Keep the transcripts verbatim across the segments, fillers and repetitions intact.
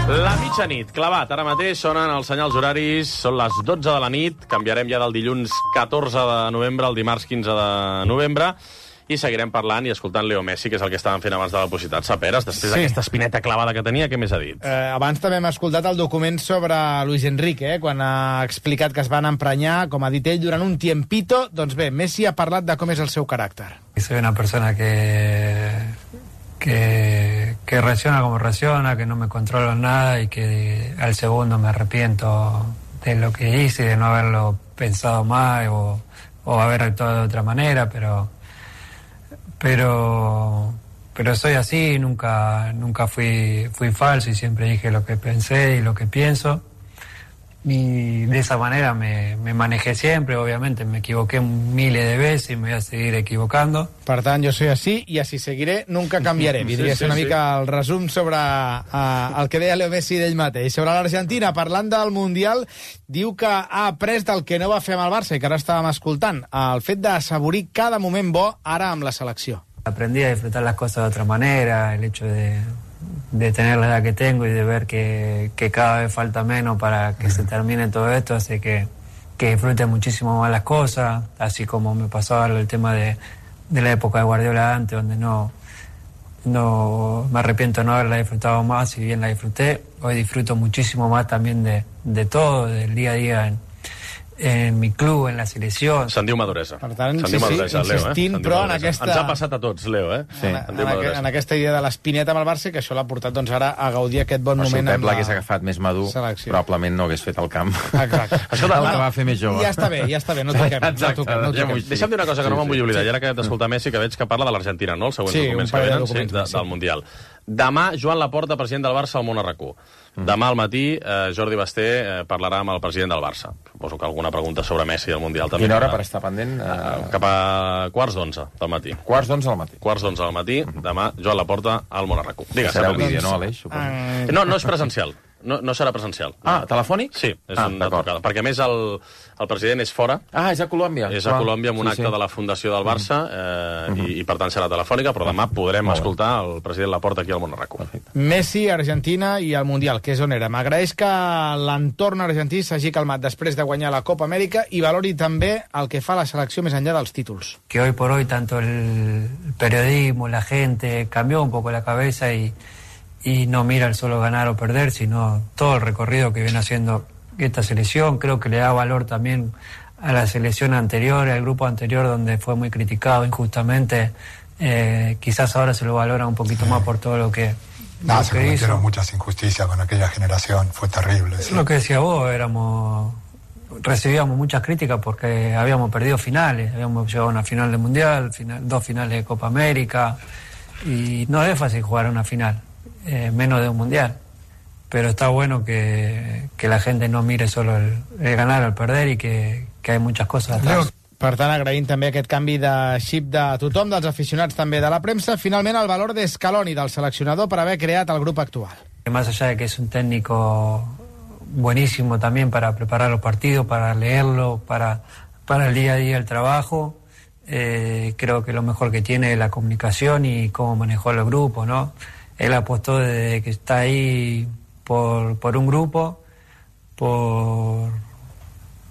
La mitjanit, clavat. Ara mateix sonen els senyals horaris, són les dotze de la nit, canviarem ja del dilluns catorze de novembre al dimarts quinze de novembre, i seguirem parlant i escoltant Leo Messi, que és el que estàvem fent abans de la publicitat. Saperes, després sí. d'aquesta espineta clavada que tenia, què més ha dit? Eh, abans també hem escoltat el document sobre Luis Enrique, eh, quan ha explicat que es van emprenyar, com ha dit ell, durant un tiempito. Doncs bé, Messi ha parlat de com és el seu caràcter. Soy una persona que, que, que reacciona como reacciona, que no me controlo en nada y que al segundo me arrepiento de lo que hice, de no haberlo pensado más o, o haber actuado de otra manera, pero... Pero, pero soy así, nunca, nunca fui, fui falso y siempre dije lo que pensé y lo que pienso. Y de esa manera me, me manejé siempre, obviamente me equivoqué miles de veces y me voy a seguir equivocando. Per tant, jo soy así i així seguiré, nunca canviaré. Podria sí, sí, ser una sí. mica el resum sobre uh, el que deia Leo Messi d'ell mateix. Sobre l'Argentina, parlant del Mundial, diu que ha après del que no va fer amb el Barça i que ara estàvem escoltant, el fet d'assaborir cada moment bo ara amb la selecció. Aprendí a disfrutar las cosas de otra manera, el hecho de... de tener la edad que tengo y de ver que, que cada vez falta menos para que se termine todo esto, hace que, que disfrute muchísimo más las cosas, así como me pasaba el tema de, de la época de Guardiola antes, donde no, no me arrepiento de no haberla disfrutado más, si bien la disfruté, hoy disfruto muchísimo más también de, de todo, del día a día en, en mi club, en la selecció. Se'n diu maduresa. Per tant, Se'n sí, diu maduresa, sí, Leo, insistint, eh? però en aquesta... Ens ha passat a tots, Leo, eh? Sí. En, en, en, en aquesta idea de l'espineta amb el Barça, que això l'ha portat doncs, ara a gaudir aquest bon però moment si el Pep amb la l'hagués agafat més madur, selecció. Probablement no hagués fet el camp. Exacte. Això de... el que va fer més jove. Ja està bé, ja està bé, no toquem. Exacte, no toquem, no toquem. Ja Deixa'm dir una cosa que sí, no me'n vull oblidar. sí. I ara que he d'escoltar Messi, que veig que parla de l'Argentina, no? Els següents sí, documents que venen sí, de, sí. del Mundial. Demà, Joan Laporta, president del Barça, al Món RAC1. Demà al matí, eh, Jordi Basté eh, parlarà amb el president del Barça. Suposo que alguna pregunta sobre Messi i el Mundial també. Quina hora per estar pendent? Eh... Cap a quarts d'onze del matí. Quarts d'onze al matí. Quarts d'onze del matí, demà, Joan Laporta al Món RAC1. Digues, serà un vídeo, no, Aleix? Uh... No, no és presencial. No, no serà presencial. Ah, telefònic? Sí, és ah, una trucada. Perquè, a més, el, el president és fora. Ah, és a Colòmbia. És a Colòmbia amb un sí, acte sí. de la Fundació del Barça, eh, uh -huh. i, i per tant serà telefònica, però demà podrem Molt escoltar bé. el president Laporta aquí al Món RAC1. Messi, Argentina i el Mundial, que és on era. M'agraeix que l'entorn argentí s'hagi calmat després de guanyar la Copa Amèrica i valori també el que fa la selecció més enllà dels títols. Que hoy por hoy tanto el periodismo, la gente, cambió un poco la cabeza y y no mira el solo ganar o perder, sino todo el recorrido que viene haciendo esta selección. Creo que le da valor también a la selección anterior, al grupo anterior, donde fue muy criticado injustamente. Eh, quizás ahora se lo valora un poquito sí. más por todo lo que, no, lo se que cometieron hizo. muchas injusticias con aquella generación, fue terrible. Sí. Lo que decía vos, éramos recibíamos muchas críticas porque habíamos perdido finales, habíamos llegado a una final de Mundial, final, dos finales de Copa América, y no es fácil jugar una final. Eh, menos de un mundial, pero está bueno que, que la gente no mire solo el, el ganar o el perder y que, que hay muchas cosas atrás. Per tant, agraïm també aquest canvi de xip de tothom, dels aficionats també de la premsa. Finalment, el valor de Scaloni, del seleccionador, per haver creat el grup actual. Más allá de que es un técnico buenísimo también para preparar los partidos, para leerlo, para, para el día a día el trabajo, eh, creo que lo mejor que tiene es la comunicación y cómo manejó el grupo, ¿no? Él apostó desde que está ahí por, por un grupo, por,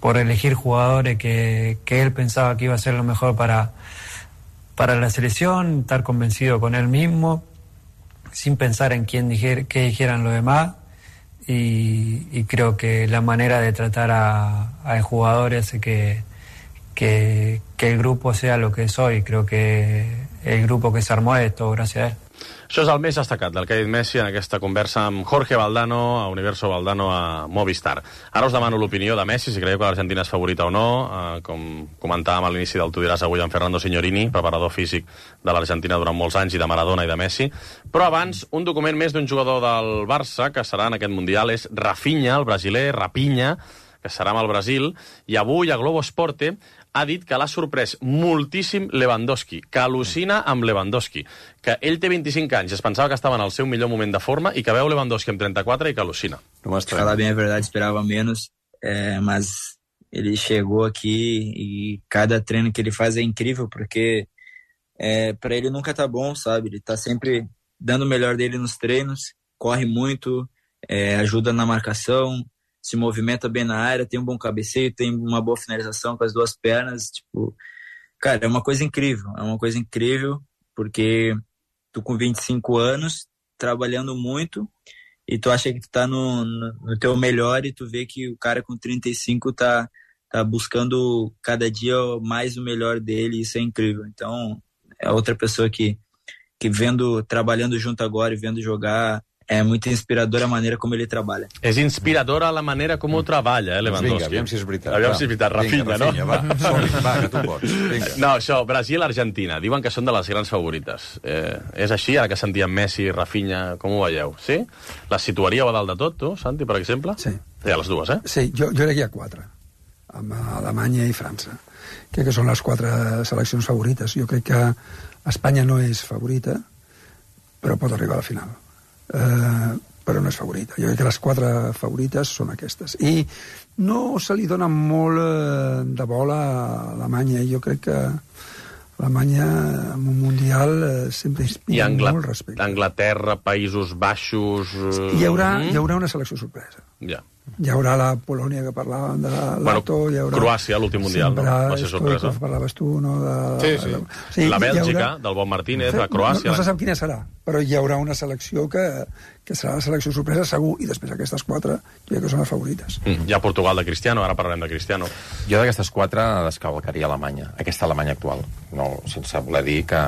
por elegir jugadores que, que él pensaba que iba a ser lo mejor para, para la selección, estar convencido con él mismo, sin pensar en quién dijer, qué dijeran los demás. Y, y creo que la manera de tratar a, a jugadores hace que, que, que el grupo sea lo que es hoy. Creo que el grupo que se armó es todo gracias a él. Això és el més destacat del que ha dit Messi en aquesta conversa amb Jorge Valdano, a Universo Valdano, a Movistar. Ara us demano l'opinió de Messi, si creieu que l'Argentina és favorita o no. Eh, com comentàvem a l'inici del Tu diràs avui amb Fernando Signorini, preparador físic de l'Argentina durant molts anys, i de Maradona i de Messi. Però abans, un document més d'un jugador del Barça que serà en aquest Mundial és Rafinha, el brasiler, Rapinya, que serà amb el Brasil, i avui a Globo Esporte ha dit que l'ha sorprès moltíssim Lewandowski, que al·lucina amb Lewandowski, que ell té vint-i-cinc anys, es pensava que estava en el seu millor moment de forma i que veu Lewandowski amb trenta-quatre i que al·lucina. Falar bem a verdade, esperava menos, é, mas ele chegou aqui e cada treino que ele faz é incrível, porque é, para ele nunca tá bom, sabe? Ele tá sempre dando o melhor dele nos treinos, corre muito, é, ajuda na marcação, se movimenta bem na área, tem um bom cabeceio, tem uma boa finalização com as duas pernas, tipo, cara, é uma coisa incrível, é uma coisa incrível, porque tu com vinte e cinco anos, trabalhando muito, e tu acha que tu tá no, no, no teu melhor, e tu vê que o cara com trinta e cinco tá, tá buscando cada dia mais o melhor dele, e isso é incrível. Então, é outra pessoa que, que vendo, trabalhando junto agora e vendo jogar, é muito inspiradora a maneira como ele trabalha. És inspiradora la manera com ho treballa, eh, Lewandowski? Vinga, aviam si és veritat. Aviam si és veritat, Rafinha, Vinga, Rafinha, no? va, som-hi, va, que tu pots. Vinga. No, això, Brasil-Argentina. Diuen que són de les grans favorites. Eh, és així, ara que sentíem Messi, Rafinha, com ho veieu? Sí? Les situaríeu a dalt de tot, tu, Santi, per exemple? Sí. Sí, a les dues, eh? Sí, jo, jo crec que hi ha quatre, amb Alemanya i França. Crec que són les quatre seleccions favorites. Jo crec que Espanya no és favorita, però pot arribar a la final. Eh, però no és favorita. Jo crec que les quatre favorites són aquestes. I no se li dona molt eh, de bola a Alemanya. Jo crec que Alemanya en un mundial eh, sempre inspira Angla... molt respecte. Anglaterra, Països Baixos... Eh... Hi haurà, mm? hi haurà una selecció sorpresa. Ja. Hi haurà la Polònia que parlàvem de l'Ato, bueno, hi haurà... Croàcia, l'últim mundial, no? Va ser sorpresa. Stoikov, parlaves tu, no? De, sí, sí. De, sí. La Bèlgica, haurà... del Bon Martínez, la Croàcia... No, no se sap quina serà, però hi haurà una selecció que, que serà la selecció sorpresa, segur, i després aquestes quatre, jo crec que són les favorites. Mm. Hi ha Portugal de Cristiano, ara parlarem de Cristiano. Jo d'aquestes quatre descalcaria Alemanya, aquesta Alemanya actual, no, sense voler dir que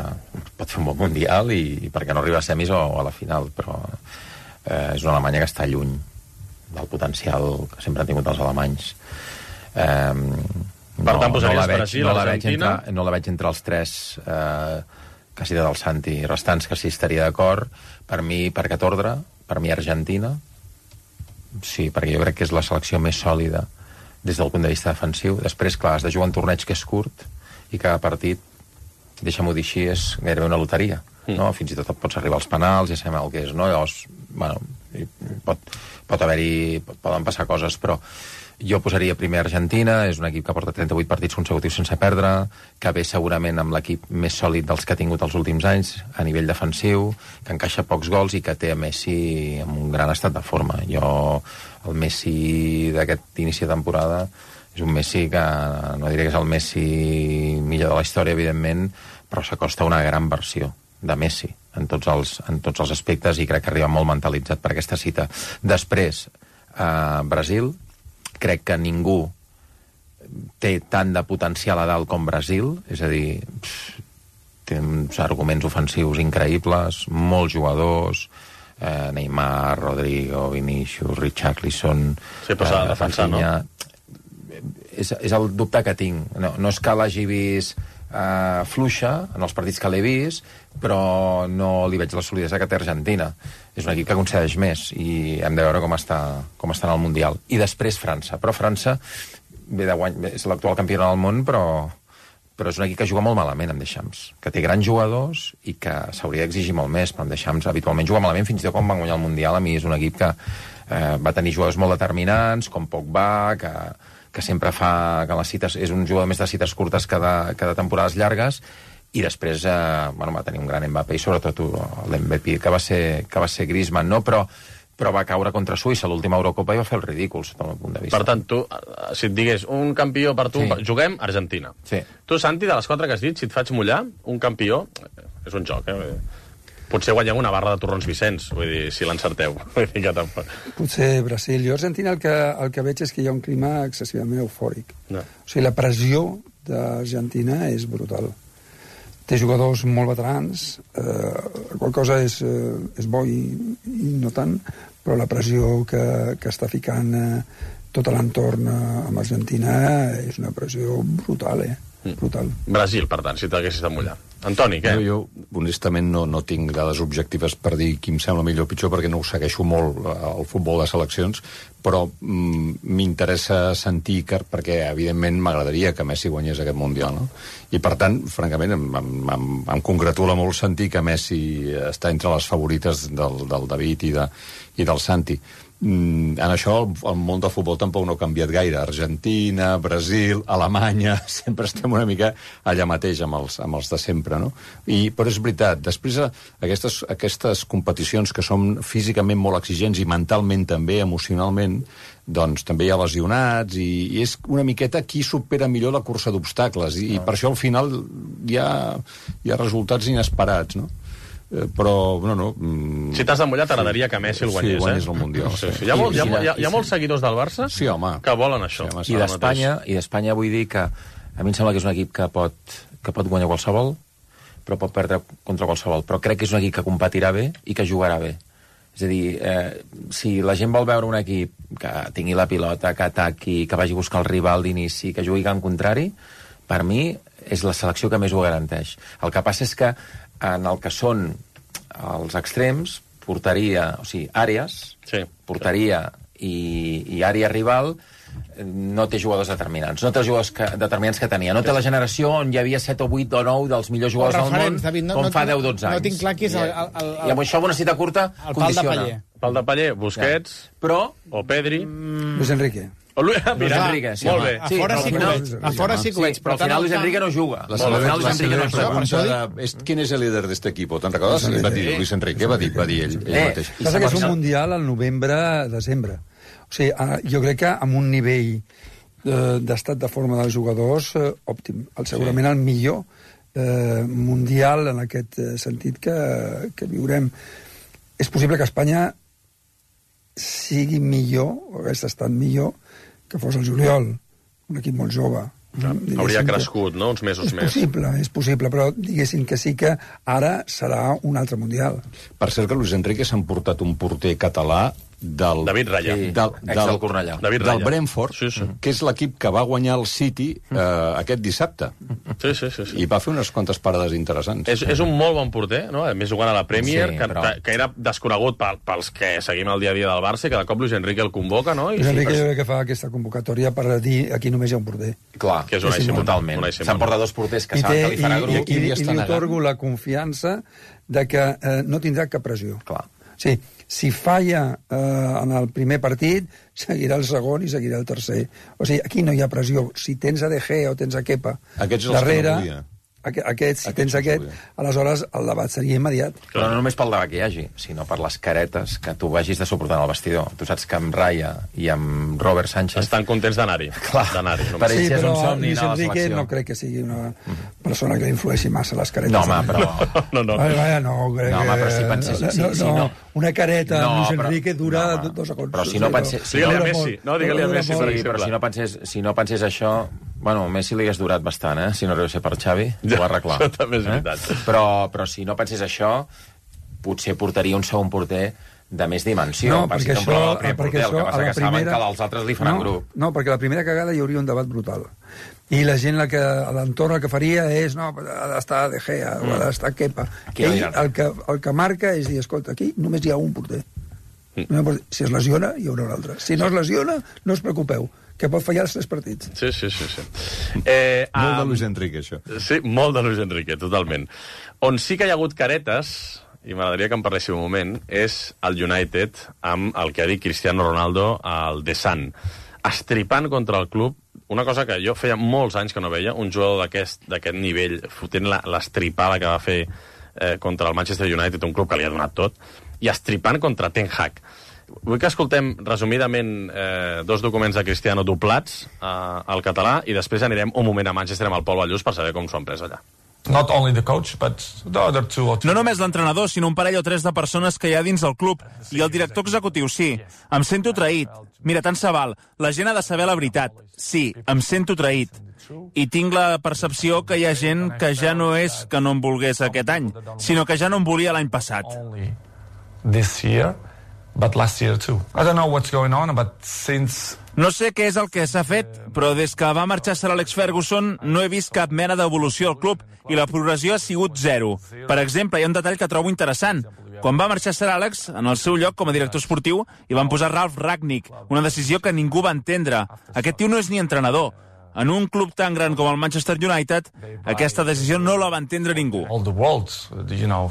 pot fer un bon mundial i, i perquè no arriba a semis o a la final, però eh, és una Alemanya que està lluny del potencial que sempre han tingut els alemanys. Eh, per tant, posaries no veig, Brasil, no Argentina... Entre, no la veig entre els tres eh, que cita del Santi restants, que sí estaria d'acord. Per mi, per aquest ordre, per mi Argentina, sí, perquè jo crec que és la selecció més sòlida des del punt de vista defensiu. Després, clar, has de jugar un torneig que és curt i cada partit, deixa'm-ho dir així, és gairebé una loteria. No? Fins i tot pots arribar als penals, ja sabem el que és, no? Llavors, bueno, pot, pot haver-hi, pot, poden passar coses, però jo posaria primer Argentina, és un equip que porta trenta-vuit partits consecutius sense perdre, que ve segurament amb l'equip més sòlid dels que ha tingut els últims anys a nivell defensiu, que encaixa pocs gols i que té a Messi en un gran estat de forma. Jo, el Messi d'aquest inici de temporada és un Messi que, no diré que és el Messi millor de la història, evidentment, però s'acosta a una gran versió de Messi en tots els, en tots els aspectes, i crec que arriba molt mentalitzat per aquesta cita. Després, eh, Brasil, crec que ningú té tant de potencial a dalt com Brasil, és a dir, pff, té uns arguments ofensius increïbles, molts jugadors, eh, Neymar, Rodrigo, Vinicius, Richarlison... Sí, però s'ha de defensar, no? És, és el dubte que tinc. No, no és que l'hagi vist Uh, fluixa en els partits que l'he vist, però no li veig la solidesa que té Argentina. És un equip que concedeix més i hem de veure com està, com està en el Mundial. I després França. Però França ve de guany, és l'actual campió del món, però, però és un equip que juga molt malament amb Deschamps, que té grans jugadors i que s'hauria d'exigir molt més, però amb Deschamps habitualment juga malament, fins i tot quan van guanyar el Mundial. A mi és un equip que eh, va tenir jugadors molt determinants, com Pogba, que que sempre fa que les cites, és un jugador més de cites curtes que de, que de temporades llargues, i després eh, bueno, va tenir un gran Mbappé, i sobretot l'M V P que va ser, que va ser Griezmann, no? però, però va caure contra Suïssa a l'última Eurocopa i va fer el ridícul, sota el meu punt de vista. Per tant, tu, si et digués un campió per tu, sí. Juguem Argentina. Sí. Tu, Santi, de les quatre que has dit, si et faig mullar, un campió, és un joc, eh? Potser guanyem una barra de torrons Vicenç, vull dir, si l'encerteu. Potser Brasil. Jo, Argentina, el que, el que veig és que hi ha un clima excessivament eufòric. No. O sigui, la pressió d'Argentina és brutal. Té jugadors molt veterans, eh, qual cosa és, eh, és bo i, i no tant, però la pressió que, que està ficant eh, tot l'entorn eh, amb Argentina és una pressió brutal, eh? Brutal. Brasil, per tant, si t'haguessis de mullar. Antoni, què? Jo, jo honestament, no, no tinc dades objectives per dir qui em sembla millor o pitjor, perquè no ho segueixo molt, el futbol de seleccions, però mm, m'interessa sentir, que, perquè, evidentment, m'agradaria que Messi guanyés aquest Mundial, no? I, per tant, francament, em, em, em, em congratula molt sentir que Messi està entre les favorites del, del David i, de, i del Santi. Mm, en això el, el món del futbol tampoc no ha canviat gaire. Argentina, Brasil, Alemanya, sempre estem una mica allà mateix amb els, amb els de sempre, no? I, però és veritat, després aquestes, aquestes competicions que són físicament molt exigents i mentalment també, emocionalment, doncs també hi ha lesionats i, i és una miqueta qui supera millor la cursa d'obstacles i, i per això al final hi ha, hi ha resultats inesperats, no? Eh, però, no, no... Mm, si t'has de mullar, t'agradaria sí, que Messi el guanyés, sí, guanyés eh? el Mundial. Sí, sí. Hi ha, molt, hi, ha, hi, ha, hi ha molts seguidors del Barça sí, home. que volen això. Sí, home, I d'Espanya, i d'Espanya vull dir que a mi em sembla que és un equip que pot, que pot guanyar qualsevol, però pot perdre contra qualsevol. Però crec que és un equip que competirà bé i que jugarà bé. És a dir, eh, si la gent vol veure un equip que tingui la pilota, que ataqui, que vagi a buscar el rival d'inici, que jugui en contrari, per mi és la selecció que més ho garanteix. El que passa és que en el que són els extrems, portaria, o sigui, àrees, sí, portaria i, i àrea rival, no té jugadors determinants. No té els jugadors que, determinants que tenia. No té la generació on hi havia set o vuit o nou dels millors jugadors del món, David, no, com no, fa deu o dotze anys. No tinc clar qui és el... el, el, el I amb això, una cita curta, el pal de condiciona. paller. Pal de paller, Busquets, ja. Però... o Pedri... Mm... Luis Enrique. O Luis, Luis Enrique, sí, molt bé. A fora sí que ho veig, a fora sí que ho veig, però al final Luis Enrique no juga. La al final Luis Enrique no juga. ¿Quién es el líder de este equipo? ¿Te'n recordes? Va dir Luis Enrique, va dir, va dir ell, ell mateix. Passa que és un mundial al novembre-desembre. O sigui, jo crec que amb un nivell d'estat de forma dels jugadors òptim. Segurament el millor eh, mundial en aquest sentit que, que viurem. És possible que Espanya sigui millor, o hagués estat millor, que fos el juliol, un equip molt jove. Ja, hauria crescut, no?, uns mesos és més. És possible, és possible, però diguéssim que sí que ara serà un altre mundial. Per cert que Luis Enrique s'ha emportat un porter català del... David Raya. Sí, del, del, del Cornellà. David del Raya. Brentford, sí, sí. Que és l'equip que va guanyar el City eh, aquest dissabte. Sí, sí, sí, sí. I va fer unes quantes parades interessants. És, és un molt bon porter, no? A més, jugant a la Premier, Sí, que, però- que era desconegut pel, pels que seguim el dia a dia del Barça, i cada cop Luis Enrique el convoca, no? I Luis sí, Enrique per- jo crec que fa aquesta convocatòria per dir aquí només hi ha un porter. Clar, Que és Unai Sí, sí, Simón. totalment. Unai Simón. S'emporta dos porters que I, saben té, que li farà i, grup. i, i, li i està li negant. otorgo la confiança de que eh, no tindrà cap pressió. Clar. Sí, si falla eh, en el primer partit, seguirà el segon i seguirà el tercer. O sigui, aquí no hi ha pressió. Si tens a De Gea o tens a Kepa Aquests els que darrere, no volia. aqu aquest, si Aquests tens els aquest, volia. aleshores el debat seria immediat. Però no només pel debat que hi hagi, sinó per les caretes que tu vagis de suportar en el vestidor. Tu saps que amb Raya i amb Robert Sánchez... Estan contents d'anar-hi. Clar. D'anar-hi. Per només. ells Sí, és un però somni Luis anar a la Enrique selecció. no crec que sigui una persona que li influeixi massa les caretes. No, home, però... No, no. Vaja, vaja, no, crec No, home, però si que- pensés- no, si- no, si no- una careta No, amb Luis però- Enrique dura no, home. dos segons. Però si no pensés- si Digue-li a dura Messi, molt. no? Digue-li a Dura Messi, molt. per Sí, però exemple. si no pensés, si no pensés això... Bueno, Messi li hagués durat bastant, eh? Si no arribés a ser per Xavi, Ja, ho va arreglar. això també és veritat. Eh? Però, però si no pensés això, potser portaria un segon porter de més dimensió. No, Pensi perquè que això, el primer perquè porter, això el que a passa la que saben primera... que els altres li faran no, grup. No, perquè la primera cagada hi hauria un debat brutal. I la gent la que, a l'entorn el que faria és, no, ha d'estar De Gea, mm. o ha d'estar Kepa. Aquí Ell, no hi ha el, que, el que marca és dir, escolta, aquí només hi ha un porter. Mm. Si es lesiona, hi haurà un altre. Si no es lesiona, no us preocupeu, que pot fallar els tres partits. Sí, sí, sí. sí. Eh, Molt de um, Luis Enrique, això. Sí, molt de Luis Enrique, totalment. On sí que hi ha hagut caretes, i m'agradaria que en parléssiu un moment, és el United amb el que ha dit Cristiano Ronaldo al The Sun. Estripant contra el club, una cosa que jo feia molts anys que no veia, un jugador d'aquest nivell, fotent l'estripada que va fer eh, contra el Manchester United, un club que li ha donat tot, i estripant contra Ten Hag. Vull que escoltem resumidament eh, dos documents de Cristiano doblats eh, al català i després anirem un moment a Manchester amb el Pol Ballús per saber com s'ho han pres allà. Not only the coach, but the other two or three. No només l'entrenador, sinó un parell o tres de persones que hi ha dins del club. I el director executiu, sí. Em sento traït. Mira, tant se val. La gent ha de saber la veritat. Sí, em sento traït. I tinc la percepció que hi ha gent que ja no és que no em volgués aquest any, sinó que ja no em volia l'any passat. Only this year, but last year too. I don't know what's going on, but since No sé què és el que s'ha fet, però des que va marxar Sir Alex Ferguson no he vist cap mena d'evolució al club i la progressió ha sigut zero. Per exemple, hi ha un detall que trobo interessant. Quan va marxar Sir Alex, en el seu lloc com a director esportiu, hi van posar Ralf Rangnick, una decisió que ningú va entendre. Aquest tio no és ni entrenador. En un club tan gran com el Manchester United, aquesta decisió no la va entendre ningú. all the world, you know,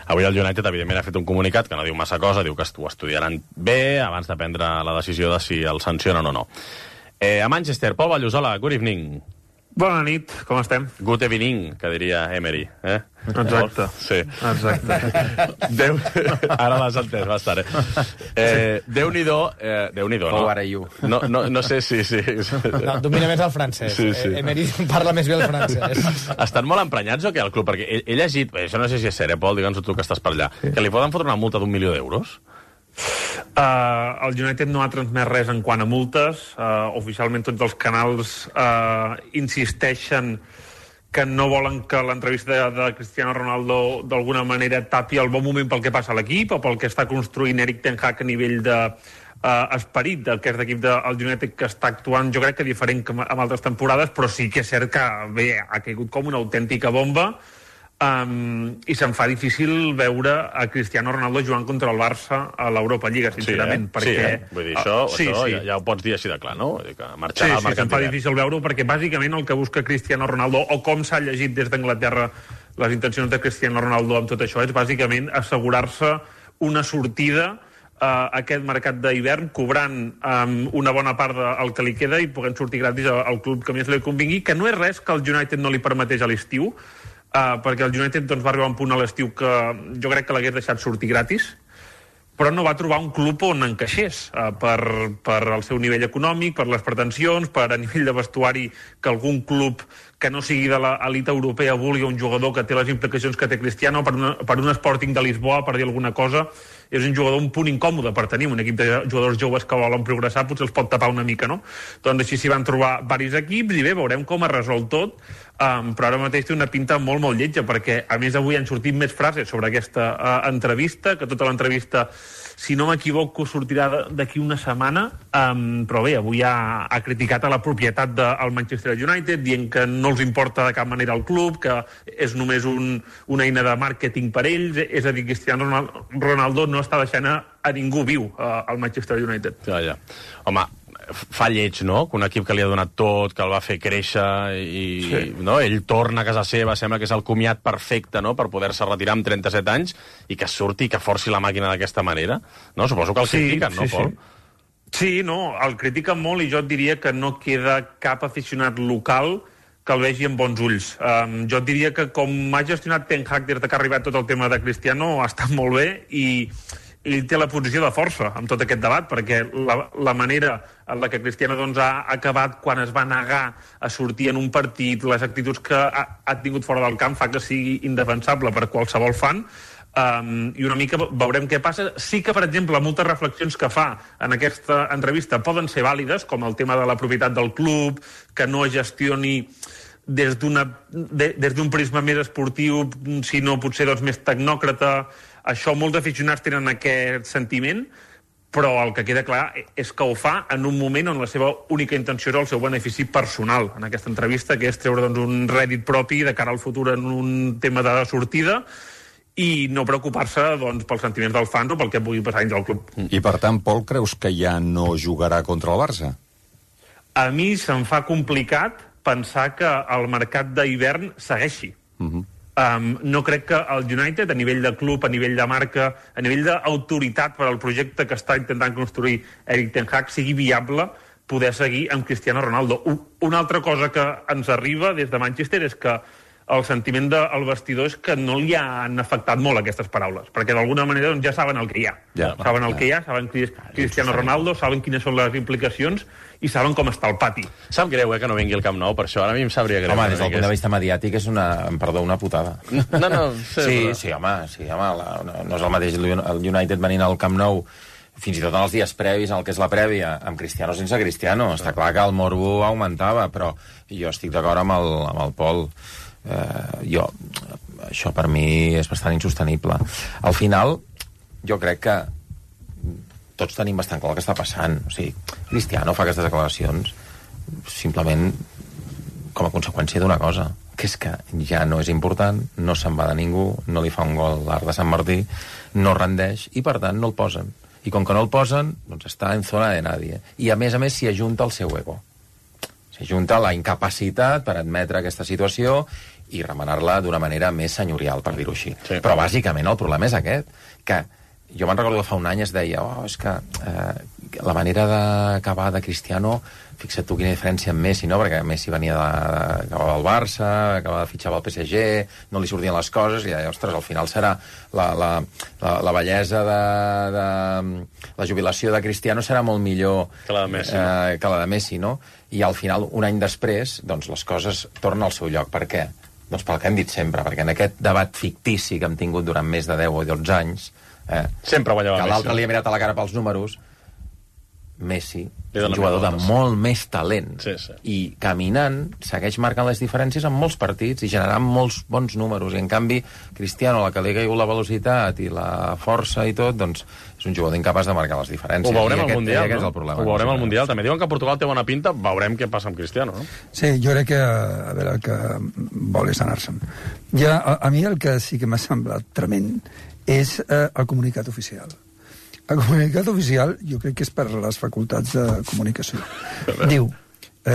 Avui el United, evidentment, ha fet un comunicat que no diu massa cosa, diu que ho estudiaran bé abans de prendre la decisió de si el sancionen o no. Eh, a Manchester, Pol Vallusola, good evening. Bona nit, com estem? Good evening, que diria Emery. Eh? Exacte. Sí. Exacte. Déu... Ara l'has entès bastant, eh? eh Déu-n'hi-do, eh, Déu-n'hi-do, no? How are you? No, no, no sé si... Sí, sí. No, domina més el francès. Sí, sí. Emery parla més bé el francès. Estan molt emprenyats o què, el club? Perquè he, he llegit, això no sé si és cert, eh, Pol, digue'ns tu que estàs per allà, sí. Que li poden fotre una multa d'un milió d'euros? Uh, el United no ha transmès res en quant a multes. Uh, oficialment tots els canals uh, insisteixen que no volen que l'entrevista de, de Cristiano Ronaldo d'alguna manera tapi el bon moment pel que passa a l'equip o pel que està construint Erik ten Hag a nivell de uh, esperit del que és l'equip del United, que està actuant, jo crec que diferent que amb altres temporades, però sí que és cert que bé, ha caigut com una autèntica bomba. Um, i se'm fa difícil veure a Cristiano Ronaldo jugant contra el Barça a l'Europa Lliga, sincerament. Sí, eh? perquè... sí, eh? Vull dir, això, uh, sí, això sí. Ja, ja ho pots dir així de clar, no? Vull dir que marxarà sí, al sí, mercat se'm fa difícil veure-ho, perquè bàsicament el que busca Cristiano Ronaldo, o com s'ha llegit des d'Anglaterra les intencions de Cristiano Ronaldo amb tot això, és bàsicament assegurar-se una sortida a aquest mercat d'hivern, cobrant um, una bona part del que li queda i podent sortir gratis al club que més li convingui, que no és res que el United no li permeteix a l'estiu. Uh, perquè el United doncs, va arribar a un punt a l'estiu que jo crec que l'hagués deixat sortir gratis, però no va trobar un club on encaixés uh, per, per el seu nivell econòmic, per les pretensions, per a nivell de vestuari, que algun club que no sigui de l'elit europea vulgui un jugador que té les implicacions que té Cristiano, per, una, per un Sporting de Lisboa, per dir alguna cosa. És un jugador un punt incòmode per tenir un equip de jugadors joves que volen progressar, potser els pot tapar una mica, no? Doncs així s'hi van trobar diversos equips i bé, veurem com es resol tot, um, però ara mateix té una pinta molt, molt lletja, perquè a més avui han sortit més frases sobre aquesta uh, entrevista, que tota l'entrevista, si no m'equivoco, sortirà d'aquí una setmana, um, però bé, avui ha, ha criticat a la propietat del Manchester United, dient que no els importa de cap manera el club, que és només un, una eina de màrqueting per ells, és a dir, Cristiano Ronaldo no està deixant a, a ningú viu uh, al Manchester United. Ja, ja. Home, fa lleig, no?, que un equip que li ha donat tot, que el va fer créixer i sí. no? Ell torna a casa seva, sembla que és el comiat perfecte, no?, per poder-se retirar amb trenta-set anys i que surti i que forci la màquina d'aquesta manera, no? Suposo que el sí, critiquen, no, sí, Pol? Sí. sí, no, el critiquen molt i jo et diria que no queda cap aficionat local que el vegi amb bons ulls. Um, jo et diria que com ha gestionat Ten Hag des que ha arribat tot el tema de Cristiano ha estat molt bé i ell té la posició de força amb tot aquest debat, perquè la, la manera en la que Cristiano doncs, ha acabat quan es va negar a sortir en un partit, les actituds que ha, ha tingut fora del camp fa que sigui indefensable per qualsevol fan. Um, i una mica veurem què passa. Sí que, per exemple, moltes reflexions que fa en aquesta entrevista poden ser vàlides, com el tema de la propietat del club, que no gestioni des d'una de, des d'un prisma més esportiu, sinó potser doncs, més tecnòcrata. Això molts aficionats tenen aquest sentiment, però el que queda clar és que ho fa en un moment on la seva única intenció és el seu benefici personal en aquesta entrevista, que és treure doncs, un rèdit propi de cara al futur en un tema de sortida i no preocupar-se doncs, pels sentiments dels fans o pel que pugui passar dins del club. I per tant, Pol, creus que ja no jugarà contra el Barça? A mi se'm fa complicat pensar que el mercat d'hivern segueixi. Uh-huh. Um, no crec que el United, a nivell de club, a nivell de marca, a nivell d'autoritat per al projecte que està intentant construir Erik ten Hag, sigui viable poder seguir amb Cristiano Ronaldo. Una altra cosa que ens arriba des de Manchester és que el sentiment del vestidor és que no li han afectat molt aquestes paraules, perquè d'alguna manera doncs, ja saben el que hi ha. Ja, saben el ja. que hi ha, saben qui és Cristiano Ronaldo, saben quines són les implicacions i saben com està el pati. Sap greu, eh, que no vengui el Camp Nou, per això ara a mi em sabria greu. Home, des del punt de vista mediàtic és una, perdó, una putada. No, no, sí, sí, sí, home, sí, home la, no, no és el mateix el United venint al Camp Nou fins i tot en els dies previs, en el que és la prèvia, amb Cristiano sense Cristiano. Està clar que el morbo augmentava, però jo estic d'acord amb el, amb el Pol. Uh, jo, això per mi és bastant insostenible. Al final, jo crec que tots tenim bastant clar el que està passant. O sigui, Cristiano fa aquestes declaracions simplement com a conseqüència d'una cosa, que és que ja no és important, no se'n va de ningú, no li fa un gol l'Arc de Sant Martí, no rendeix, i per tant no el posen. I com que no el posen, doncs està en zona de nadie. I a més a més s'hi ajunta el seu ego. S'hi junta la incapacitat per admetre aquesta situació i remenar-la d'una manera més senyorial, per dir-ho així. Sí. Però bàsicament el problema és aquest, que jo me'n recordo que fa un any es deia oh, és que eh, la manera d'acabar de Cristiano, fixa't tu quina diferència amb Messi, no? Perquè Messi venia de, de, acabava al Barça, acabava de fitxar pel P S G, no li sortien les coses, i deia, ostres, al final serà la, la, la, la bellesa de, de... la jubilació de Cristiano serà molt millor que la de Messi, eh, no? que la de Messi, no? I al final, un any després, doncs les coses tornen al seu lloc. Per què? Doncs pel que hem dit sempre, perquè en aquest debat fictici que hem tingut durant més de deu o dotze anys, eh, sempre guanyava que l'altre Messi. li ha mirat a la cara pels números, Messi és un dona jugador de voltes. molt més talent, Sí, sí. i caminant segueix marcant les diferències en molts partits i generant molts bons números, i en canvi Cristiano, a la que li ha caigut la velocitat i la força i tot, doncs és un jugador incapaç de marcar les diferències. Ho veurem I al aquest, Mundial, i aquest no? és el problema. Ho veurem al Mundial. També diuen que Portugal té bona pinta, veurem què passa amb Cristiano, no? Sí, jo crec que, a veure, el que vol és anar-se'n. Ja, a, a mi el que sí que m'ha semblat tremend és eh, el comunicat oficial. El comunicat oficial jo crec que és per les facultats de comunicació. Diu, eh,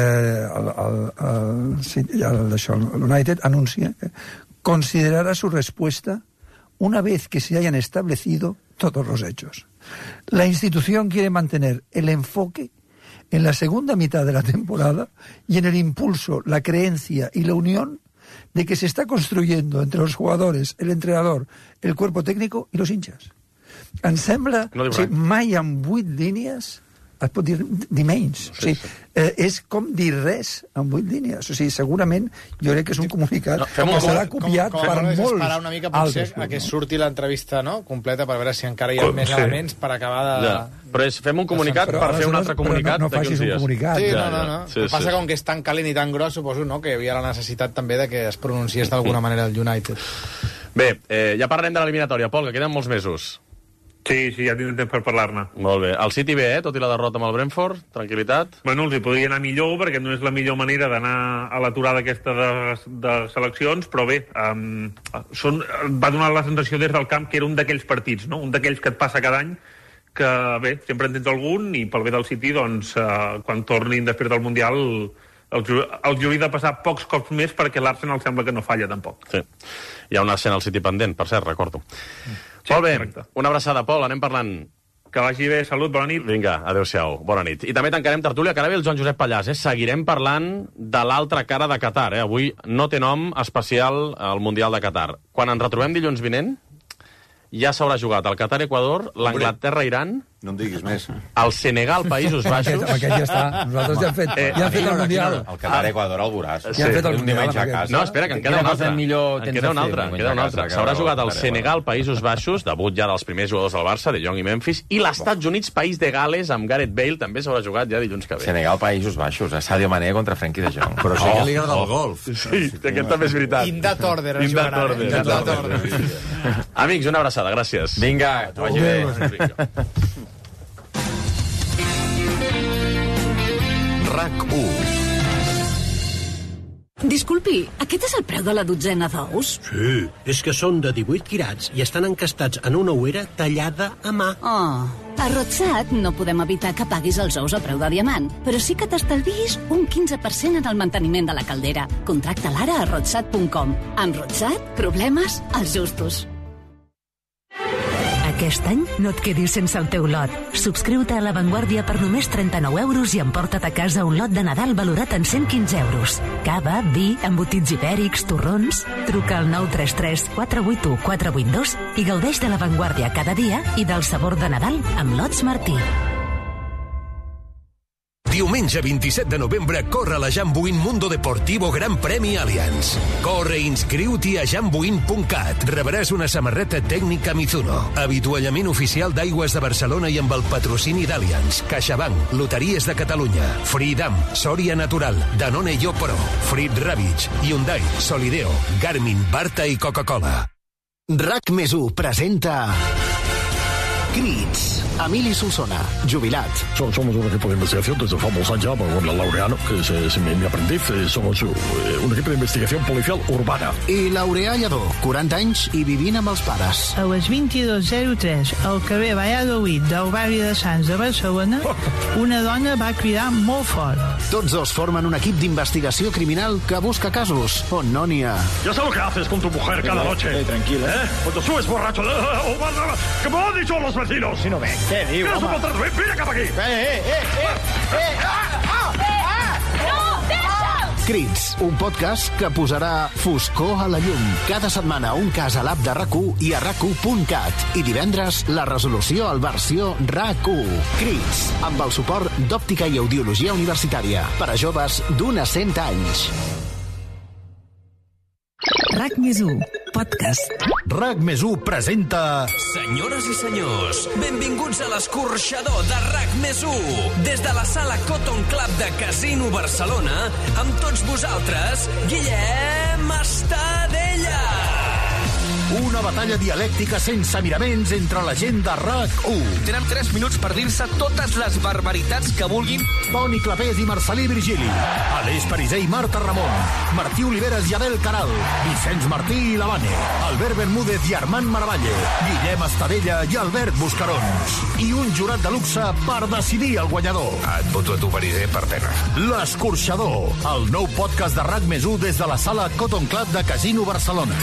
el, el, el, sí, el, això, el United anuncia que considerará su respuesta una vez que se hayan establecido todos los hechos. La institución quiere mantener el enfoque en la segunda mitad de la temporada y en el impulso, la creencia y la unión de que se está construyendo entre los jugadores, el entrenador, el cuerpo técnico y los hinchas. Em sembla... No o sigui, mai en vuit línies es pot dir, dir menys. Sí, o sigui, sí. Eh, és com dir res en vuit línies. O sigui, segurament jo crec que és un comunicat no, que com, serà com, copiat com, com per molts esperar una mica potser altres. a que surti l'entrevista, no?, completa, per veure si encara hi ha Com, més sí. elements per acabar de... Ja. Però és, fem un comunicat Però per fer un aleshores- altre però comunicat no, no d'aquí facis uns un dies. comunicat. Sí, Ja, no, no, ja. no. Sí, El que passa sí. com que és tan calent i tan gros, suposo, no?, que hi havia la necessitat també de que es pronunciés d'alguna manera el United. Bé, eh, ja parlarem de l'eliminatòria, Pol, que queden molts mesos. Sí, sí, ja tindrem temps per parlar-ne. Molt bé. El City bé, eh? Tot i la derrota amb el Brentford, tranquil·litat. Bueno, els hi podria anar millor, perquè no és la millor manera d'anar a l'aturada aquesta de, de seleccions, però bé, um, són, va donar la sensació des del camp que era un d'aquells partits, no? Un d'aquells que et passa cada any, que bé, sempre en tens algun, i pel bé del City, doncs, uh, quan tornin després del Mundial, els, els hauria de passar pocs cops més, perquè l'Arsenal sembla que no falla, tampoc. Sí. Hi ha una escena al City pendent, per cert, recordo. Sí, Molt bé, correcte. una abraçada, Pol, anem parlant. Que vagi bé, salut, bona nit. Vinga, adéu-siau, bona nit. I també tancarem tertúlia, que ara ve el Joan Josep Pallàs, eh? Seguirem parlant de l'altra cara de Qatar, eh? Avui no té nom especial al Mundial de Qatar. Quan ens retrobem dilluns vinent, ja s'haurà jugat el Qatar-Equador, l'Anglaterra-Iran, No em diguis més. el Senegal, Països Baixos... Aquest, aquest ja està. Nosaltres ja hem fet, Eh, ja hem fet el Mundial. El Qatar-Equador el veuràs. Ja hem fet el un diumenge Mundial, a casa. No, espera, que en queda Quina un cosa altre. millor En tens queda de un fer, altre, diumenge queda un a altre. casa, S'haurà que jugat el veure, Senegal, Països Baixos, debut ja dels primers jugadors del Barça, de Jong i Memphis, i l'Estats Units, País de Gales, amb Gareth Bale, també s'haurà jugat ja dilluns que ve. Senegal, Països Baixos, a Sadio Mané contra Frenkie de Jong. Però sí que li agrada el golf. Sí, aquest també és veritat. In that order, es In that jugarà, order. eh? In that order. Amics, una abraçada, gràcies. Vinga, que vagi bé. RAC u. Disculpi, aquest és el preu de la dotzena d'ous? Sí, és que són de divuit quirats i estan encastats en una ouera tallada a mà. Oh, a Rotsat no podem evitar que paguis els ous a preu de diamant, però sí que t'estalviïs un quinze per cent en el manteniment de la caldera. Contracta-la ara a rotsat punt com. Amb Rotsat, problemes als justos. Aquest any no et quedis sense el teu lot. Subscriu-te a La Vanguardia per només trenta-nou euros i emporta't a casa un lot de Nadal valorat en cent quinze euros. Cava, vi, embotits ibèrics, torrons... Truca al nou tres tres quatre vuit u quatre vuit dos i gaudeix de La Vanguardia cada dia i del sabor de Nadal amb Lots Martí. Diumenge vint-i-set de novembre corre la Jambuin Mundo Deportivo Gran Premi Allianz. Corre i inscriu-t'hi a jambuin punt cat. Rebràs una samarreta tècnica Mizuno, avituallament oficial d'Aigües de Barcelona i amb el patrocini d'Allianz, CaixaBank, Loteries de Catalunya, Freedom, Soria Natural, Danone Yo Pro, Frit Ravitch, Hyundai, Solideo, Garmin, Barta i Coca-Cola. RAC més u presenta Crits. Emili Solsona, jubilat. Somos un equipo de investigación desde famosos años con la Laureano, que es, es mi, mi aprendiz. Somos un equipo de investigación policial urbana. I Laureà Lledó, quaranta anys i vivint amb els pares. A les vint-i-dos zero tres, al carrer Valladolid del barri de Sants de Barcelona, una dona va cridar molt fort. Tots dos formen un equip d'investigació criminal que busca casos on no n'hi ha. Ya sé lo que haces con tu mujer cada noche. Eh, tranquila. ¿Eh? Cuando subes borracho. ¿Qué me han dicho los vecinos? Si no ven, què diu, home? home? Vine cap aquí. Eh, eh, eh, eh, eh, ah, ah, ah, no, deixa'm! Crits, un podcast que posarà foscor a la llum. Cada setmana un cas a l'app de RAC u i a rac u punt cat. I divendres la resolució al versió RAC u. Crits, amb el suport d'Òptica i Audiologia Universitària. Per a joves d'un a cent anys. RAC més u, podcast. RAC més u presenta... Senyores i senyors, benvinguts a l'escorxador de RAC més u. Des de la sala Cotton Club de Casino Barcelona, amb tots vosaltres, Guillem Estadella. Una batalla dialèctica sense miraments entre la gent de RAC u. Tenen tres minuts per dir-se totes les barbaritats que vulguin. Toni Clapés i Marcelí Virgili. Aleix Pariser i Marta Ramon. Martí Oliveres i Abel Caral. Vicenç Martí i Lavane. Albert Bermúdez i Armand Maravalle. Guillem Estadella i Albert Buscarons. I un jurat de luxe per decidir el guanyador. Et voto a tu, Pariser, per pena. L'Escorxador, el nou podcast de RAC més u des de la sala Cotton Club de Casino Barcelona.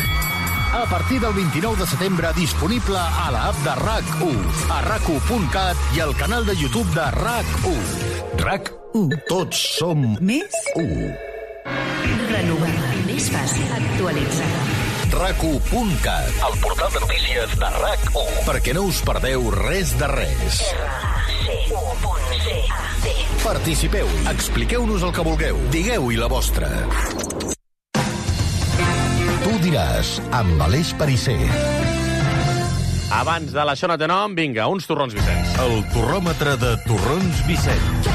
A partir del vint-i-nou de setembre, disponible a l'app de RAC u, a rac u punt cat i al canal de YouTube de RAC u. RAC u. Tots som més u. Renovada, més fàcil, actualitzada. rac u punt cat, el portal de notícies de RAC u. Perquè no us perdeu res de res. Participeu, expliqueu-nos el que vulgueu, digueu-hi la vostra. Tu diràs, amb Aleix Pariser. Abans de l'Això no té nom, vinga, uns torrons Vicenç. El torròmetre de torrons Vicenç.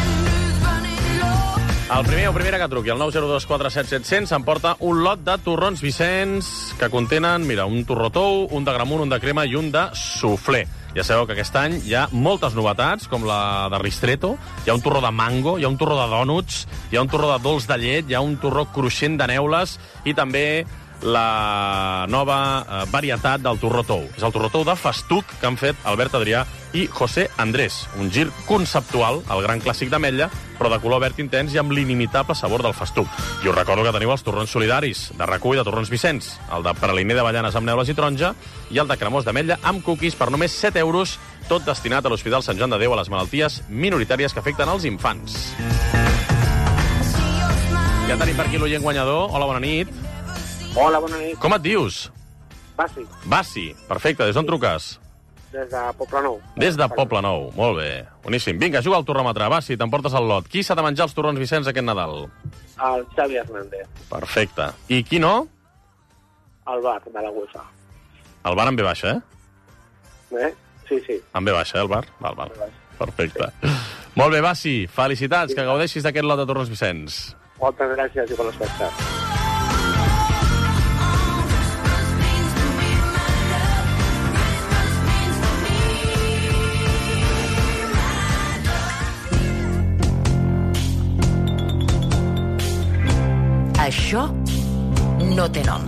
El primer o primera que truqui, el nou zero dos quatre set set zero zero, s'emporta un lot de torrons Vicenç que contenen, mira, un torró tou, un de gramunt, un de crema i un de suflé. Ja sabeu que aquest any hi ha moltes novetats, com la de Ristretto, hi ha un torró de mango, hi ha un torró de dònuts, hi ha un torró de dolç de llet, hi ha un torró cruixent de neules i també la nova eh, varietat del torró tou. És el torró tou de festuc que han fet Albert Adrià i José Andrés. Un gir conceptual, el gran clàssic d'ametlla, però de color verd intens i amb l'inimitable sabor del festuc. I us recordo que teniu els torrons solidaris de RAC u i de torrons Vicenç, el de praliner d'avellanes amb neules i taronja i el de cremós d'ametlla amb cookies per només set euros, tot destinat a l'Hospital Sant Joan de Déu a les malalties minoritàries que afecten els infants. Ja tenim per aquí l'oient guanyador. Hola, bona nit. Hola, bona nit. Com et dius? Basi. Basi, perfecte. Des d'on truques? Des de Poblenou. Des de Poblenou, molt bé. Boníssim. Vinga, juga al torròmetre. Basi, t'emportes el lot. Qui s'ha de menjar els torrons Vicenç aquest Nadal? El Xavi Hernández. Perfecte. I qui no? El bar de la UEFA. El bar en ve baixa, eh? Eh? Sí, sí. En ve baixa, eh, el bar? Val, val. Perfecte. Sí. Molt bé, Basi. Felicitats, sí. Que gaudeixis d'aquest lot de torrons Vicenç. Moltes gràcies i bon espectacle. Això no té nom.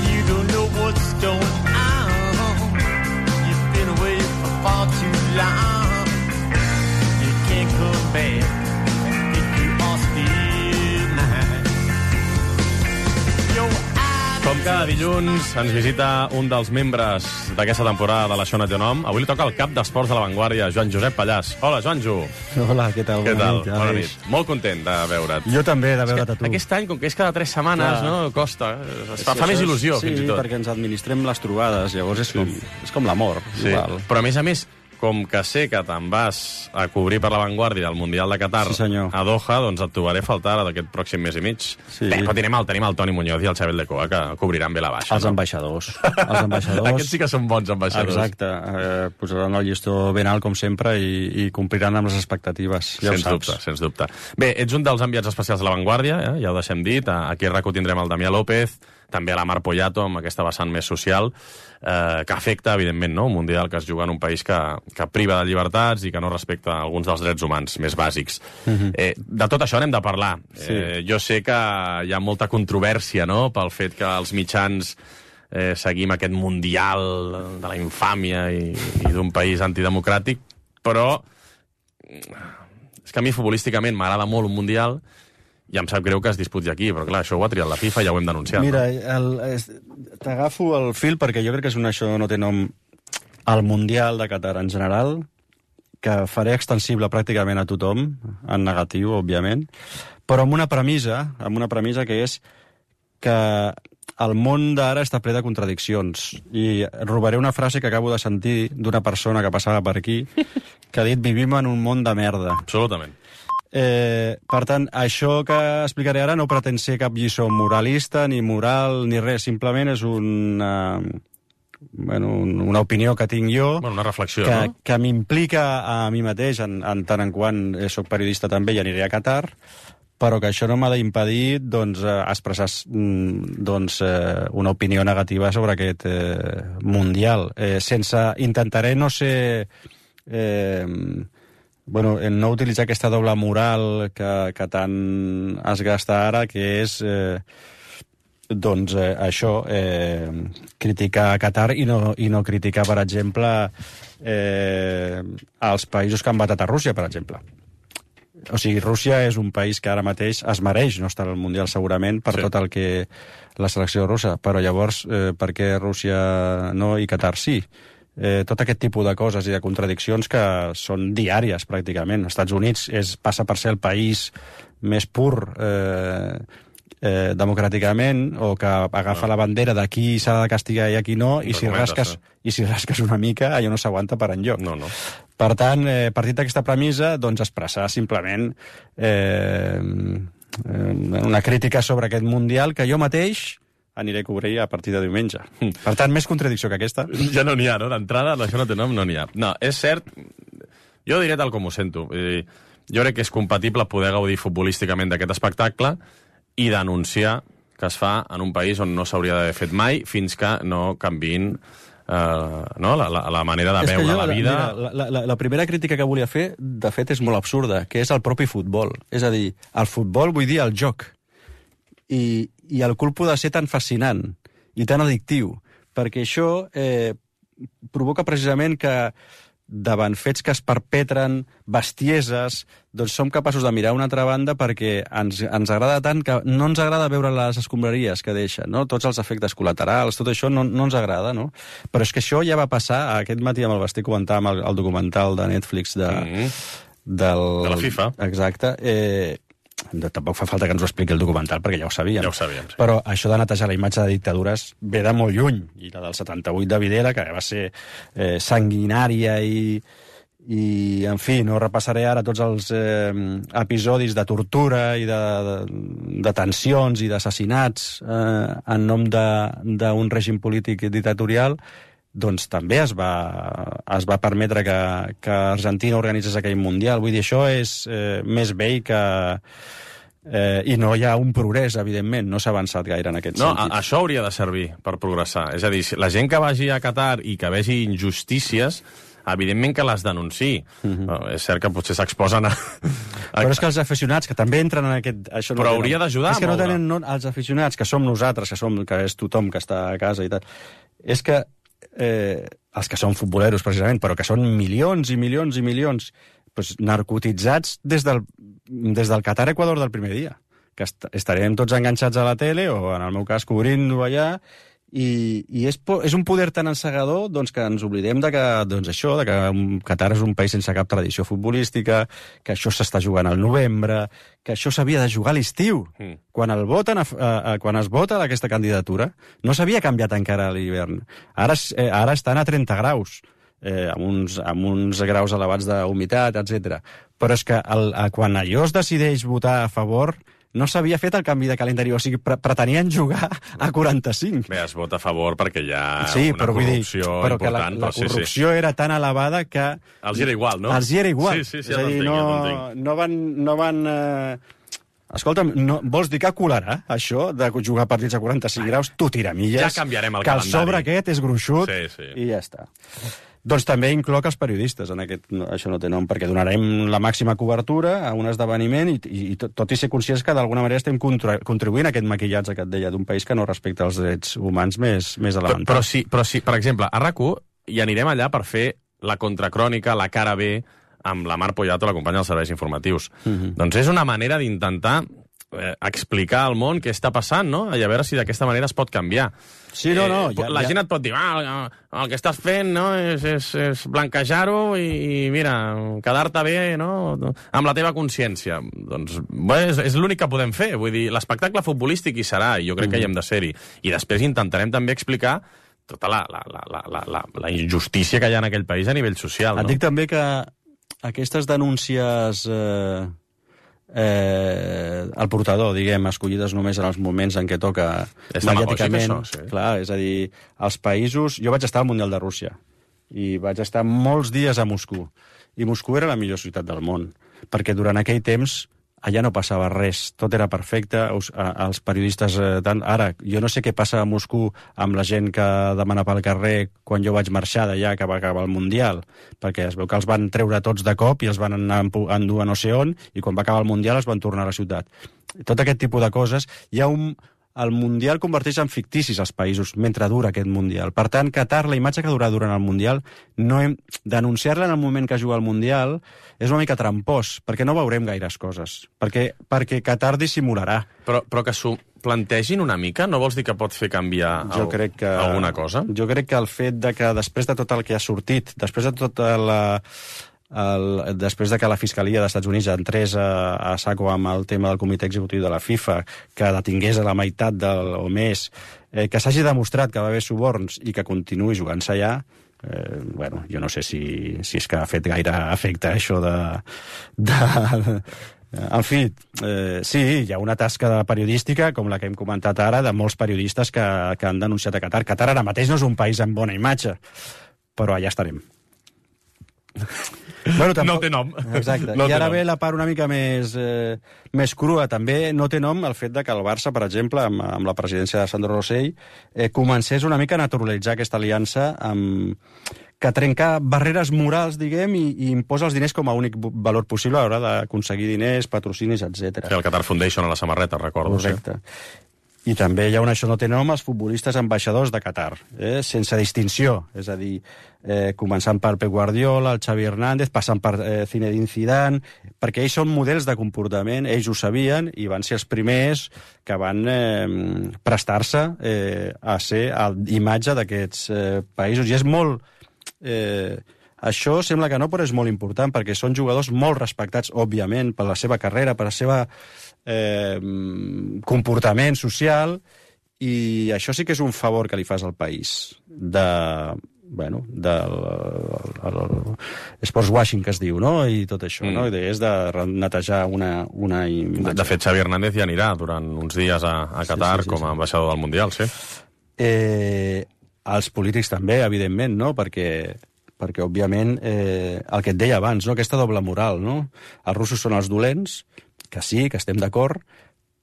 You don't know what's going on. You've been away for far too long. You can't come back if you are still mine. Your Com cada dilluns ens visita un dels membres d'aquesta temporada de l'Això no té nom. Avui li toca el cap d'esports de La Vanguardia, Joan Josep Pallàs. Hola, Joanjo. Hola, què tal? Què Bona tal? nit, Bona Aleix. nit. Molt content de veure't. Jo també, de veure't a tu. Aquest any, com que és cada tres setmanes, Clar. no? Costa. Es fa, Sí, fa més això és- il·lusió, sí, fins i tot. perquè ens administrem les trobades, llavors és com, és com l'amor. Sí. Igual. Però, a més a més, com que sé que te'n vas a cobrir per La Vanguardia el Mundial de Qatar Sí, senyor. a Doha, doncs et trobaré a faltar d'aquest pròxim mes i mig. Sí. Bé, però tenim el, tenim el Toni Muñoz i el Xavier Lecoa, que cobriran bé la baixa. Els no? ambaixadors. Els ambaixadors. Aquests sí que són bons ambaixadors. Exacte. Eh, posaran el llistó ben alt, com sempre, i, i compliran amb les expectatives. Ja ho Sens saps. dubte, sens dubte. Bé, ets un dels enviats especials de La Vanguardia, eh? Ja ho deixem dit. Aquí a RAC u tindrem el Damià López, també a la Mar Poyato, amb aquesta vessant més social, eh, que afecta, evidentment, no? Un mundial que es juga en un país que, que priva de llibertats i que no respecta alguns dels drets humans més bàsics. Uh-huh. eh, de tot això anem de parlar. Sí. Eh, jo sé que hi ha molta controvèrsia, no?, pel fet que els mitjans eh, seguim aquest mundial de la infàmia i, i d'un país antidemocràtic, però és que a mi futbolísticament m'agrada molt un mundial i em sap greu que es disputi aquí, però clar, això ho ha triat la FIFA i ja ho hem denunciat. Mira, no? t'agafo el fil perquè jo crec que és un, això no té nom, el Mundial de Qatar en general, que faré extensible pràcticament a tothom, en negatiu, òbviament, però amb una premissa, amb una premissa que és que el món d'ara està ple de contradiccions. I robaré una frase que acabo de sentir d'una persona que passava per aquí, que ha dit, vivim en un món de merda. Absolutament. Eh, per tant, això que explicaré ara no pretén ser cap lliçó moralista, ni moral, ni res. Simplement és una, bueno, una opinió que tinc jo, bueno, una reflexió, que, no? que m'implica a mi mateix, en, en tant en quant soc periodista també i aniré a Qatar, però que això no m'ha d'impedir doncs, expressar doncs, una opinió negativa sobre aquest eh, Mundial. Eh, sense, intentaré no ser... Eh, bueno, no utilitzar aquesta doble moral que, que tant es gasta ara, que és eh, doncs eh, això, eh, criticar Qatar i no, i no criticar, per exemple, eh, els països que han batat a Rússia, per exemple. O sigui, Rússia és un país que ara mateix es mereix no estar al Mundial segurament per sí. tot el que la selecció russa, però llavors eh, per què Rússia no i Qatar sí? Eh, tot aquest tipus de coses i de contradiccions que són diàries, pràcticament. Els Estats Units és, passa per ser el país més pur eh, eh, democràticament, o que agafa no. la bandera d'aquí s'ha de castigar i aquí no, i si, rasques, i si rasques una mica, allò no s'aguanta per enlloc. No, no. Per tant, eh, partit d'aquesta premissa, doncs expressar simplement eh, una crítica sobre aquest Mundial que jo mateix aniré a cobrir a partir de diumenge. Per tant, més contradicció que aquesta. Ja no n'hi ha, no? D'entrada, això no té nom, no n'hi ha. No, és cert, jo diré tal com ho sento. Jo crec que és compatible poder gaudir futbolísticament d'aquest espectacle i denunciar que es fa en un país on no s'hauria d'haver fet mai fins que no canviïn eh, no? la, la, la manera de veure la vida. Mira, la, la, la primera crítica que volia fer, de fet, és molt absurda, que és el propi futbol. És a dir, el futbol vull dir el joc. I, i el culpo de ser tan fascinant i tan addictiu, perquè això eh, provoca precisament que davant fets que es perpetren, bestieses, doncs som capaços de mirar una altra banda perquè ens, ens agrada tant que no ens agrada veure les escombraries que deixen, no? Tots els efectes col·laterals, tot això no, no ens agrada, no? Però és que això ja va passar, aquest matí amb el Bastí comentàvem el, el documental de Netflix de, mm-hmm. del, de la FIFA. Exacte. Eh, tampoc fa falta que ens ho expliqui el documental perquè ja ho sabíem. Ja ho sabíem, sí. Però això de netejar la imatge de dictadures ve de molt lluny, i la del setanta-vuit de Videla, que va ser eh, sanguinària i, i, en fi, no repassaré ara tots els eh, episodis de tortura i de, de, de tensions i d'assassinats eh, en nom d'un règim polític dictatorial, doncs també es va, es va permetre que, que Argentina organitzés aquell Mundial. Vull dir, això és eh, més vell que... Eh, I no hi ha un progrés, evidentment, no s'ha avançat gaire en aquest no, sentit. No, això hauria de servir per progressar. És a dir, la gent que vagi a Qatar i que vegi injustícies, evidentment que les denunciï. Uh-huh. No, és cert que potser s'exposen a... Però és que els aficionats, que també entren en aquest... Això no Però tenen, hauria d'ajudar És que no molt, tenen... No, els aficionats, que som nosaltres, que, som, que és tothom que està a casa i tal, és que eh, els que són futboleros, precisament, però que són milions i milions i milions, doncs, narcotitzats des del, des del Qatar-Equador del primer dia, que est estarem tots enganxats a la tele, o en el meu cas cobrint-ho allà, i, i és, és un poder tan encegador doncs, que ens oblidem de que, doncs, això, de que Qatar és un país sense cap tradició futbolística, que això s'està jugant al novembre, que això s'havia de jugar a l'estiu. Mm. Quan, el voten a, a, a, quan es vota aquesta candidatura, no s'havia canviat encara a l'hivern. Ara, eh, ara estan a trenta graus, eh, amb, uns, amb uns graus elevats d'humitat, etcètera. Però és que el, a, quan allò es decideix votar a favor, no s'havia fet el canvi de calendari, o sigui, pre pretenien jugar a quaranta-cinc. Bé, es vota a favor perquè hi ha sí, una però, corrupció dir, però important. Que la, la però corrupció sí, sí. era tan elevada que... Els hi era igual, no? Els hi era igual. Sí, sí, sí, és ja a dir, t'entenc, no, ja t'entenc. no van... No van eh, Escolta'm, no, vols dir que colarà, això, de jugar partits a quaranta-cinc graus? Tu tira milles. Ja canviarem el que calendari. Que el sobre aquest és gruixut sí, sí. i ja està. Doncs també incloc els periodistes en aquest... No, això no té nom, perquè donarem la màxima cobertura a un esdeveniment i, i, i tot, tot i ser conscients que d'alguna manera estem contribuint a aquest maquillatge que et deia d'un país que no respecta els drets humans més, més elementals. Però, però, sí, però sí, per exemple, a RAC u hi anirem allà per fer la contracrònica, la cara B, amb la Mar Poyato, la companya dels serveis informatius. Uh-huh. Doncs és una manera d'intentar eh, explicar al món què està passant, no? I a veure si d'aquesta manera es pot canviar. Sí, no, no. Eh, ja, la ja... gent et pot dir, ah, el que estàs fent no, és, és, és blanquejar-ho i, i, mira, quedar-te bé no, amb la teva consciència. Doncs bé, és, és l'únic que podem fer. Vull dir, l'espectacle futbolístic hi serà, i jo crec uh-huh. que hi hem de ser-hi. I després intentarem també explicar tota la, la, la, la, la, la injustícia que hi ha en aquell país a nivell social. Et no? dic també que aquestes denúncies eh, eh, al portador, diguem, escollides només en els moments en què toca és mediàticament. això, sí. Clar, és a dir, els països... Jo vaig estar al Mundial de Rússia i vaig estar molts dies a Moscou. I Moscou era la millor ciutat del món, perquè durant aquell temps allà no passava res, tot era perfecte, els, els periodistes... Eh, tant, ara, jo no sé què passa a Moscou amb la gent que demana pel carrer quan jo vaig marxar d'allà, que va acabar el Mundial, perquè es veu que els van treure tots de cop i els van anar a endur a no sé on, i quan va acabar el Mundial es van tornar a la ciutat. Tot aquest tipus de coses. Hi ha un... El Mundial converteix en ficticis els països mentre dura aquest Mundial. Per tant, Qatar, la imatge que durà durant el Mundial, no hem... denunciar-la en el moment que juga el Mundial és una mica trampós, perquè no veurem gaires coses. Perquè, perquè Qatar dissimularà. Però, però que s'ho plantegin una mica, no vols dir que pot fer canviar jo el, crec que, alguna cosa? Jo crec que el fet de que després de tot el que ha sortit, després de tota la... El, després de que la Fiscalia dels Estats Units entrés a, a saco amb el tema del comitè executiu de la FIFA, que detingués a la meitat del, o més, eh, que s'hagi demostrat que va haver suborns i que continuï jugant-se allà, eh, bueno, jo no sé si, si és que ha fet gaire efecte això de... de en fi, eh, sí, hi ha una tasca de periodística, com la que hem comentat ara, de molts periodistes que, que han denunciat a Qatar. Qatar ara mateix no és un país amb bona imatge, però allà estarem. Bueno, tampoc... No té nom. Exacte. No I ara nom. ve la part una mica més, eh, més crua. També no té nom el fet de que el Barça, per exemple, amb, amb la presidència de Sandro Rosell, eh, comencés una mica a naturalitzar aquesta aliança amb... que trenca barreres morals, diguem, i, i imposa els diners com a únic valor possible a l'hora d'aconseguir diners, patrocinis, etcètera. Fer el Qatar Foundation a la samarreta, recordo. Correcte. Sí. I també hi ha un això no té nom, els futbolistes ambaixadors de Qatar, eh? sense distinció. És a dir, eh, començant per Pep Guardiola, el Xavi Hernández, passant per eh, Zinedine Zidane, perquè ells són models de comportament, ells ho sabien i van ser els primers que van eh, prestar-se eh, a ser imatge d'aquests eh, països. I és molt... Eh, això sembla que no, però és molt important, perquè són jugadors molt respectats, òbviament, per la seva carrera, per la seva eh, comportament social, i això sí que és un favor que li fas al país, de... bueno, del sports washing que es diu, no? I tot això, mm. no? I és de netejar una, una imatge. De fet, Xavi Hernández ja anirà durant uns dies a, a Qatar sí, sí, sí, com a ambaixador del Mundial, sí. Eh, els polítics també, evidentment, no? Perquè perquè, òbviament, eh, el que et deia abans, no? Aquesta doble moral, no? Els russos són els dolents, que sí, que estem d'acord,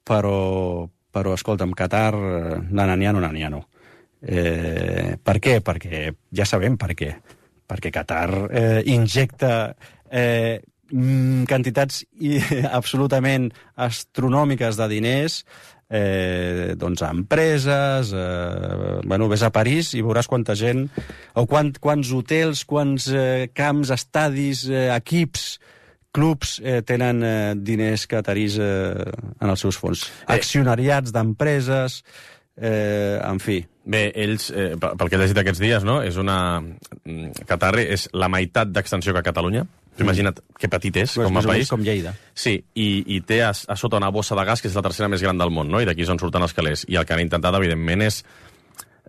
però, però escolta'm, Qatar, nananiano, nananiano. Eh, per què? Perquè ja sabem per què. Perquè Qatar eh, injecta eh, quantitats i, absolutament astronòmiques de diners eh, doncs a empreses, eh, bueno, ves a París i veuràs quanta gent, o quant, quants hotels, quants eh, camps, estadis, eh, equips, clubs eh, tenen eh, diners qatarís eh, en els seus fons. Accionariats d'empreses, eh, en fi. Bé, ells, eh, pel que he llegit aquests dies, no? És una... Qatar és la meitat d'extensió que Catalunya. Imagina't que petit és, com a país. Com Lleida. Sí, i, i té a, a sota una bossa de gas que és la tercera més gran del món, no? I d'aquí és on surten els calés. I el que han intentat, evidentment, és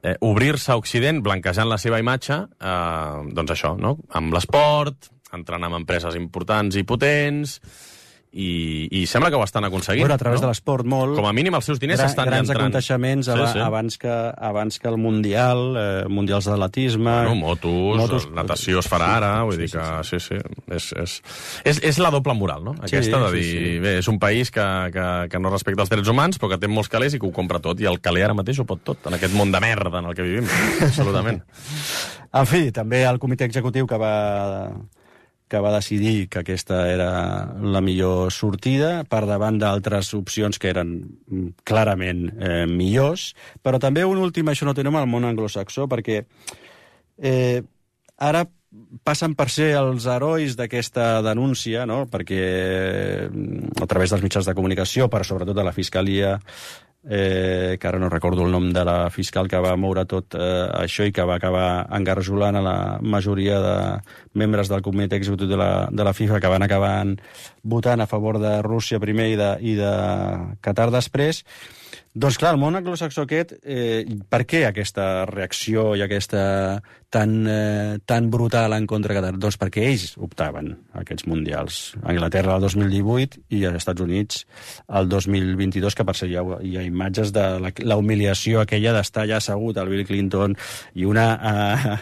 eh, obrir-se a Occident, blanquejant la seva imatge, eh, doncs això, no? Amb l'esport, entrant en empreses importants i potents, i, i sembla que ho estan aconseguint. Bueno, a través no? de l'esport molt. Com a mínim els seus diners Gra estan grans entrant. Grans aconteixements sí, sí. abans, que, abans que el Mundial, eh, Mundials d'atletisme... Bueno, motos, motos, natació es farà ara, vull sí, dir que... Sí, sí, sí. És, és, és, és la doble moral, no? Aquesta sí, de dir, sí, sí. bé, és un país que, que, que no respecta els drets humans, però que té molts calés i que ho compra tot, i el caler ara mateix ho pot tot, en aquest món de merda en el que vivim. Absolutament. En fi, també el comitè executiu que va... que va decidir que aquesta era la millor sortida, per davant d'altres opcions que eren clarament eh, millors, però també un últim, això no té nom al món anglosaxó, perquè eh, ara passen per ser els herois d'aquesta denúncia, no? Perquè a través dels mitjans de comunicació, però sobretot de la Fiscalia, eh, que ara no recordo el nom de la fiscal que va moure tot eh, això i que va acabar engarjolant a la majoria de membres del comitè executiu de la, de la FIFA, que van acabar votant a favor de Rússia primer i de, i de Qatar després. Doncs clar, el món anglosaxó aquest, eh, per què aquesta reacció i aquesta tan, eh, tan brutal en contra de Qatar? Doncs perquè ells optaven a aquests mundials. Anglaterra el dos mil divuit i als Estats Units el dos mil vint-i-dos, que per ser hi ha, hi ha imatges de la, la humiliació aquella d'estar allà assegut al Bill Clinton i una eh,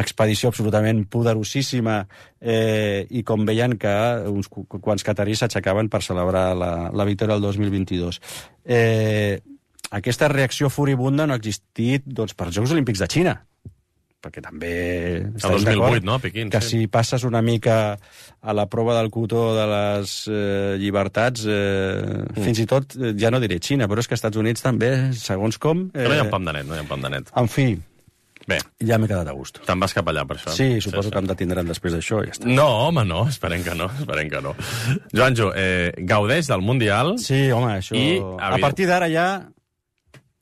expedició absolutament poderosíssima eh, i com veien que uns quants catarís s'aixecaven per celebrar la, la victòria del dos mil vint-i-dos. Eh, aquesta reacció furibunda no ha existit doncs, per als Jocs Olímpics de Xina, perquè també el dos mil vuit, no? A Pequín, que sí. Si passes una mica a la prova del cotó de les eh, llibertats, eh, mm. fins i tot, eh, ja no diré Xina, però és que als Estats Units també, segons com... Eh, no hi ha pam de net, no hi ha pam de net. En fi, bé, ja m'he quedat a gust. Te'n vas cap allà per això? Sí, suposo sí, que em detindran després d'això i ja està. No, home, no, esperem que no, esperem que no. Joanjo, eh, gaudeix del Mundial... Sí, home, això... I, a partir d'ara ja...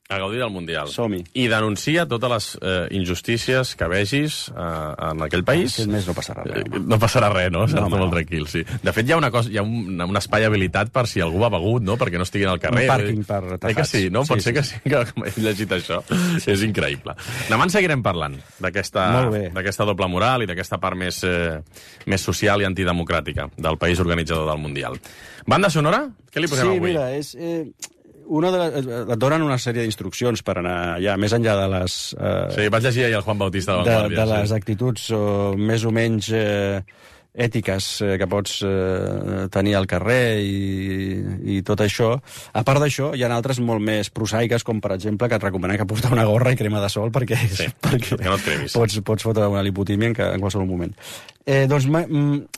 A gaudir del Mundial. Som-hi. I denuncia totes les eh, injustícies que vegis eh, en aquell país. Aquest mes no passarà res. Eh, no passarà res, no? S'ha no, molt no. tranquil, sí. De fet, hi ha, una cosa, hi ha un, un espai habilitat per si algú ha begut, no? Perquè no estigui al carrer. Un pàrquing per tafats. Eh que sí, no? Sí, Pot sí, ser que sí. sí, que he llegit això. Sí. És increïble. Demà en seguirem parlant d'aquesta doble moral i d'aquesta part més, eh, més social i antidemocràtica del país organitzador del Mundial. Banda sonora? Què li posem sí, avui? Sí, mira, és... Eh... Una de les, et donen una sèrie d'instruccions per anar allà, més enllà de les... Eh, sí, vaig llegir ahir el Juan Bautista de La Vanguardia. De, de les sí. actituds o, més o menys eh, ètiques eh, que pots eh, tenir al carrer i, i tot això. A part d'això, hi ha altres molt més prosaiques, com per exemple que et recomanen que portar una gorra i crema de sol perquè, sí, perquè que no et cremis. Pots, pots fotre una lipotímia en, en qualsevol moment. Eh, doncs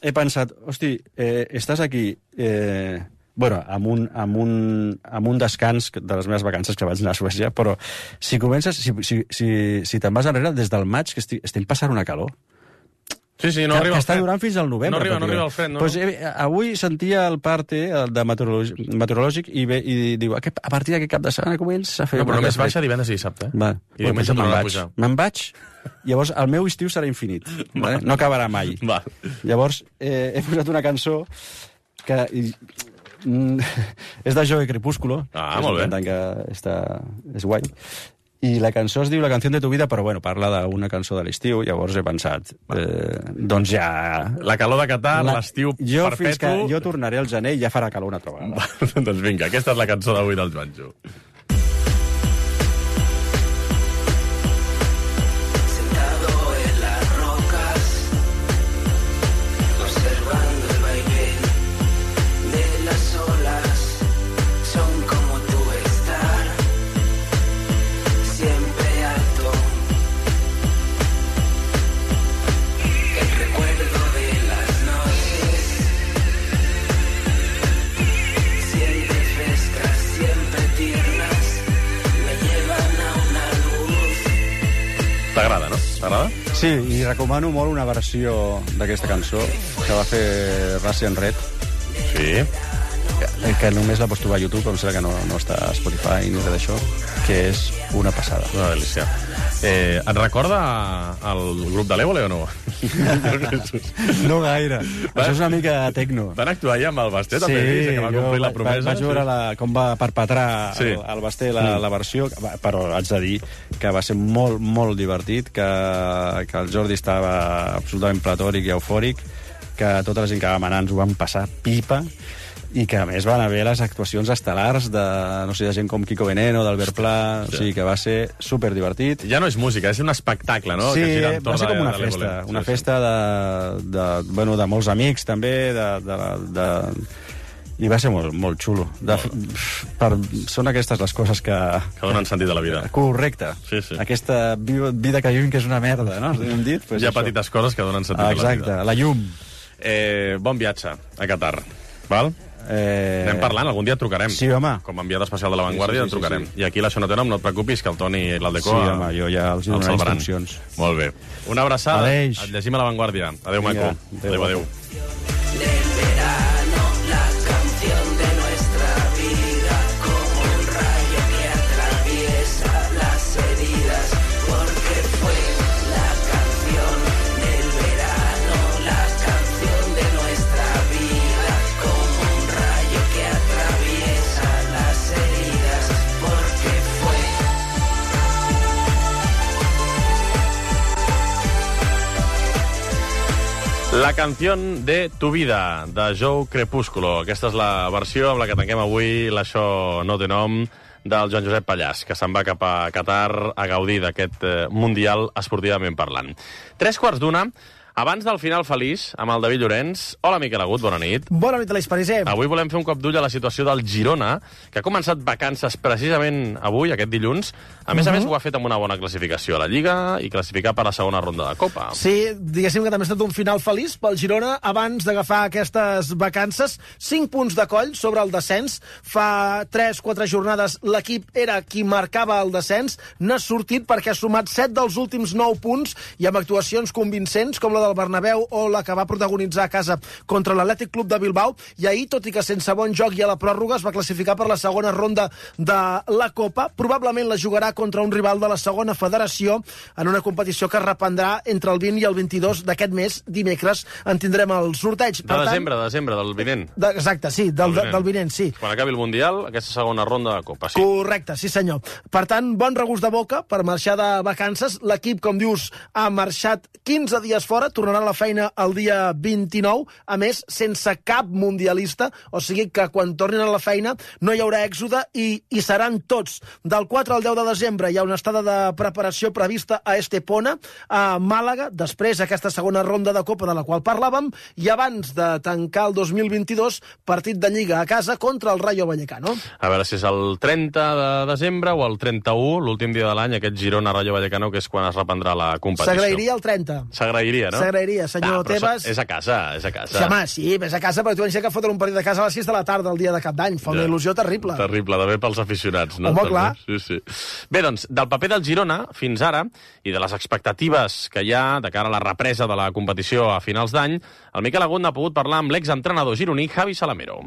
he pensat, hosti, eh, estàs aquí... Eh, bueno, amb un, amb, un, amb un descans de les meves vacances que vaig anar a Suècia, però si comences, si, si, si, si te'n vas enrere, des del maig, que estic, estem passant una calor. Sí, sí, no que, arriba que el està fred. durant fins al novembre. No arriba, no arriba el fred, no? Pues, eh, avui sentia el parte de meteorològic, meteorològic i, ve, i diu, a, a partir d'aquest cap de setmana comença a fer... No, però només baixa divendres i dissabte. Eh? Va. I bueno, diumenge tornarà a pujar. Me'n vaig, llavors el meu estiu serà infinit. Vale? No acabarà mai. Va. Llavors eh, he posat una cançó que... I, Mm, és de Joe Crepúsculo, ah, és molt bé. un cantant que està, és guai, i la cançó es diu La canción de tu vida, però bueno, parla d'una cançó de l'estiu, llavors he pensat eh, doncs ja... La calor de Qatar, l'estiu jo perpetu... fins que jo tornaré al gener i ja farà calor una altra vegada. Doncs vinga, aquesta és la cançó d'avui del Joanjo. T'agrada, no? T'agrada? Sí, i recomano molt una versió d'aquesta cançó que va fer Russian Red. Sí. Que, que només la pots trobar a YouTube, em sembla que no, no està a Spotify ni res d'això, que és una passada. Una delícia. Eh, et recorda el grup de l'Évole o no? No gaire. Va, això és una mica tecno. Van actuar ja amb el Basté, sí, també, que va complir va, la promesa. Vaig veure la, com va perpetrar sí. el, el Basté la, la versió, però haig de dir que va ser molt, molt divertit, que, que el Jordi estava absolutament platòric i eufòric, que tota la gent que vam anar ens ho vam passar pipa, i que a més van haver les actuacions estel·lars de, no sé, de gent com Kiko Veneno, d'Albert Pla, sí. O sigui que va ser superdivertit. Ja no és música, és un espectacle, no? Sí, que va ser com una festa, una sí, festa sí. De, de, bueno, de molts amics també, de, de, de, i va ser molt, molt xulo. De, per, són aquestes les coses que... Que donen sentit a la vida. Correcte. Sí, sí. Aquesta vida que vivim que és una merda, no? Hem dit? Pues Hi ha això. petites coses que donen sentit ah, exacte, a la vida. Exacte, la llum. Eh, bon viatge a Qatar, val? Eh... Anem parlant, algun dia et trucarem. Sí, home. Com a enviat especial de La Vanguardia, sí, sí, sí, et trucarem. sí. I aquí la Xona Tena, no et preocupis, que el Toni i l'Aldeco... Sí, home, jo ja els donaré instruccions. Molt bé. Una abraçada. Adeix. Et llegim a La Vanguardia. Adéu, maco. Adéu, adéu. La canción de tu vida, de Joe Crepúsculo. Aquesta és la versió amb la que tanquem avui l'Això no té nom del Joan Josep Pallàs, que se'n va cap a Qatar a gaudir d'aquest eh, Mundial esportivament parlant. Tres quarts d'una, abans del final feliç, amb el David Llorenç. Hola, Miquel Agut, bona nit. Bona nit, Aleix Pariser. Avui volem fer un cop d'ull a la situació del Girona, que ha començat vacances precisament avui, aquest dilluns. A més uh -huh. a més, ho ha fet amb una bona classificació a la Lliga i classificar per a la segona ronda de Copa. Sí, diguéssim que també ha estat un final feliç pel Girona abans d'agafar aquestes vacances. Cinc punts de coll sobre el descens. Fa tres quatre jornades l'equip era qui marcava el descens. N'ha sortit perquè ha sumat set dels últims nou punts i amb actuacions convincents com la del Bernabéu o la que va protagonitzar a casa contra l'Atlètic Club de Bilbao. I ahir, tot i que sense bon joc i a la pròrroga, es va classificar per la segona ronda de la Copa. Probablement la jugarà contra un rival de la segona federació en una competició que es reprendrà entre el vint i el vint-i-dos d'aquest mes. Dimecres en tindrem el sorteig. De desembre, de desembre, del vinent. De, exacte, sí, del, del, del vinent, sí. Quan acabi el Mundial, aquesta segona ronda de Copa, sí. Correcte, sí senyor. Per tant, bon regust de boca per marxar de vacances. L'equip, com dius, ha marxat quinze dies fora, tornarà a la feina el dia vint-i-nou, a més, sense cap mundialista, o sigui que quan tornin a la feina no hi haurà èxode i hi seran tots. Del quatre al deu de desembre hi ha una estada de preparació prevista a Estepona, a Màlaga, després aquesta segona ronda de Copa de la qual parlàvem, i abans de tancar el dos mil vint-i-dos, partit de Lliga a casa contra el Rayo Vallecano. A veure si és el trenta de desembre o el trenta-u, l'últim dia de l'any, aquest Girona-Rayo Vallecano, que és quan es reprendrà la competició. S'agrairia el trenta. S'agrairia, no? S'agrairia, senyor ah, Tebas. És a casa, és a casa. Sí, home, sí, és a casa, però tu vens que fotre un partit de casa a les sis de la tarda el dia de Cap d'Any. Fa una ja. il·lusió terrible. Terrible, de bé pels aficionats, no? Home, també. clar. Sí, sí. Bé, doncs, del paper del Girona fins ara i de les expectatives que hi ha de cara a la represa de la competició a finals d'any, el Miquel Agut n'ha pogut parlar amb l'exentrenador gironí Javi Salamero.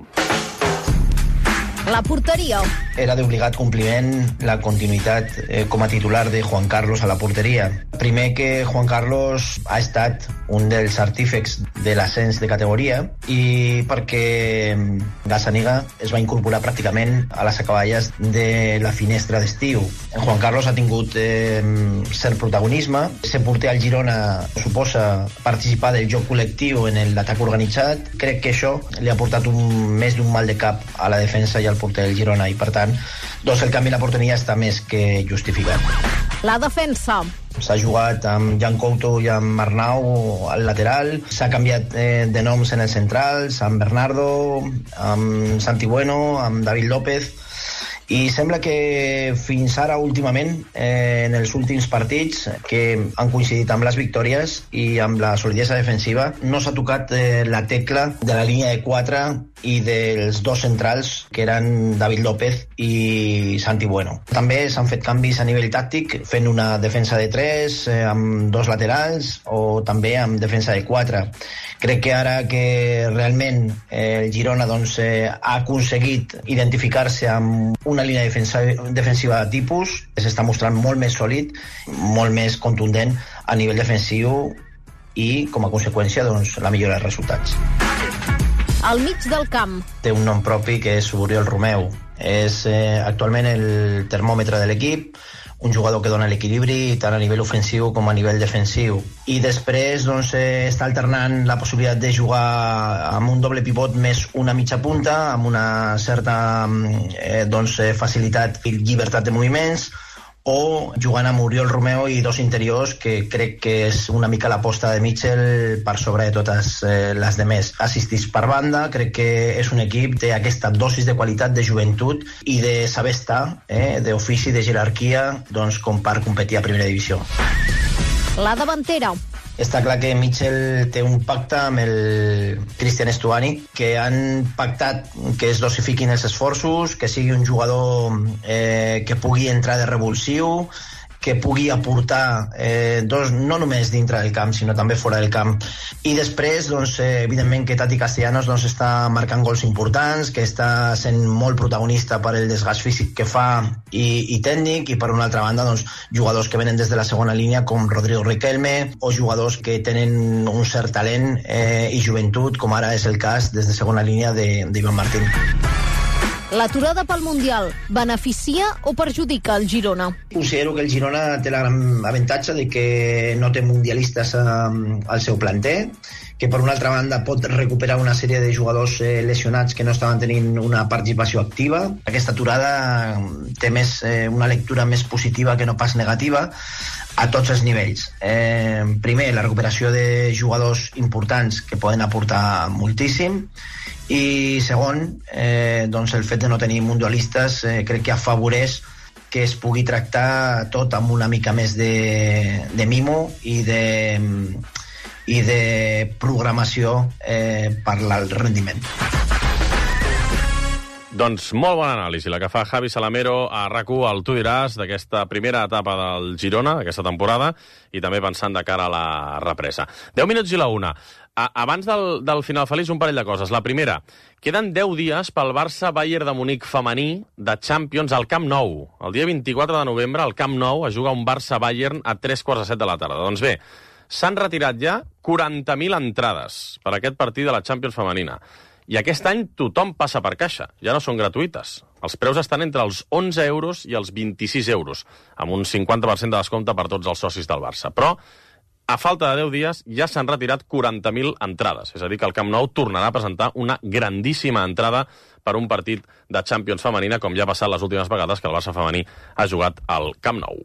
La porteria. Era d'obligat compliment la continuïtat eh, com a titular de Juan Carlos a la porteria. Primer que Juan Carlos ha estat un dels artífecs de l'ascens de categoria i perquè Gazzaniga es va incorporar pràcticament a les acaballes de la finestra d'estiu. Juan Carlos ha tingut eh, cert protagonisme. Ser porter al Girona suposa participar del joc col·lectiu en l'atac organitzat. Crec que això li ha portat un, més d'un mal de cap a la defensa i al porter del Girona i, per tant, doncs el canvi a la porteria està més que justificat. La defensa. S'ha jugat amb Jan Couto i amb Arnau al lateral, s'ha canviat eh, de noms en els centrals, amb Bernardo, amb Santi Bueno, amb David López, i sembla que fins ara últimament, eh, en els últims partits que han coincidit amb les victòries i amb la solidesa defensiva, no s'ha tocat eh, la tecla de la línia de quatre i dels dos centrals, que eren David López i Santi Bueno. També s'han fet canvis a nivell tàctic, fent una defensa de tres, eh, amb dos laterals, o també amb defensa de quatre. Crec que ara que realment eh, el Girona doncs, eh, ha aconseguit identificar-se amb una línia defensiva, defensiva de tipus, s'està mostrant molt més sòlid, molt més contundent a nivell defensiu i, com a conseqüència, doncs, la millora dels resultats. Al mig del camp. Té un nom propi que és Oriol Romeu. És eh, actualment el termòmetre de l'equip, un jugador que dona l'equilibri tant a nivell ofensiu com a nivell defensiu. I després doncs, eh, està alternant la possibilitat de jugar amb un doble pivot més una mitja punta, amb una certa eh, doncs, facilitat i llibertat de moviments, o jugant amb Oriol Romeo i dos interiors, que crec que és una mica l'aposta de Mitchell per sobre de totes eh, les demés. Assistits per banda, crec que és un equip té aquesta dosis de qualitat, de joventut i de saber estar, eh, d'ofici, de jerarquia, doncs, com per competir a primera divisió. La davantera. Està clar que Mitchell té un pacte amb el Cristian Stuani, que han pactat que es dosifiquin els esforços, que sigui un jugador eh, que pugui entrar de revulsiu, que pugui aportar eh, dos, no només dintre del camp, sinó també fora del camp. I després, doncs, eh, evidentment que Tati Castellanos doncs, està marcant gols importants, que està sent molt protagonista per el desgast físic que fa i, i tècnic, i per una altra banda, doncs, jugadors que venen des de la segona línia, com Rodrigo Riquelme, o jugadors que tenen un cert talent eh, i joventut, com ara és el cas des de segona línia d'Ivan Martín. L'aturada pel Mundial beneficia o perjudica el Girona? Considero que el Girona té la gran avantatge de que no té mundialistes eh, al seu planter, que per una altra banda pot recuperar una sèrie de jugadors eh, lesionats que no estaven tenint una participació activa. Aquesta aturada té més, eh, una lectura més positiva que no pas negativa a tots els nivells. Eh, primer, la recuperació de jugadors importants que poden aportar moltíssim, i segon, eh, doncs el fet de no tenir mundialistes eh, crec que afavoreix que es pugui tractar tot amb una mica més de, de mimo i de, i de programació eh, per al rendiment. Doncs molt bona anàlisi, la que fa Javi Salamero a RAC u, al Tu diràs, d'aquesta primera etapa del Girona, d'aquesta temporada, i també pensant de cara a la represa. deu minuts i la una. A, abans del, del final feliç, un parell de coses. La primera, queden deu dies pel Barça-Bayern de Munic femení de Champions al Camp Nou. El dia vint-i-quatre de novembre, al Camp Nou, es juga un Barça-Bayern a tres quarts de set de la tarda. Doncs bé, s'han retirat ja quaranta mil entrades per aquest partit de la Champions femenina. I aquest any tothom passa per caixa, ja no són gratuïtes. Els preus estan entre els onze euros i els vint-i-sis euros, amb un cinquanta per cent de descompte per tots els socis del Barça. Però, a falta de deu dies, ja s'han retirat quaranta mil entrades. És a dir, que el Camp Nou tornarà a presentar una grandíssima entrada per un partit de Champions femenina, com ja ha passat les últimes vegades que el Barça femení ha jugat al Camp Nou.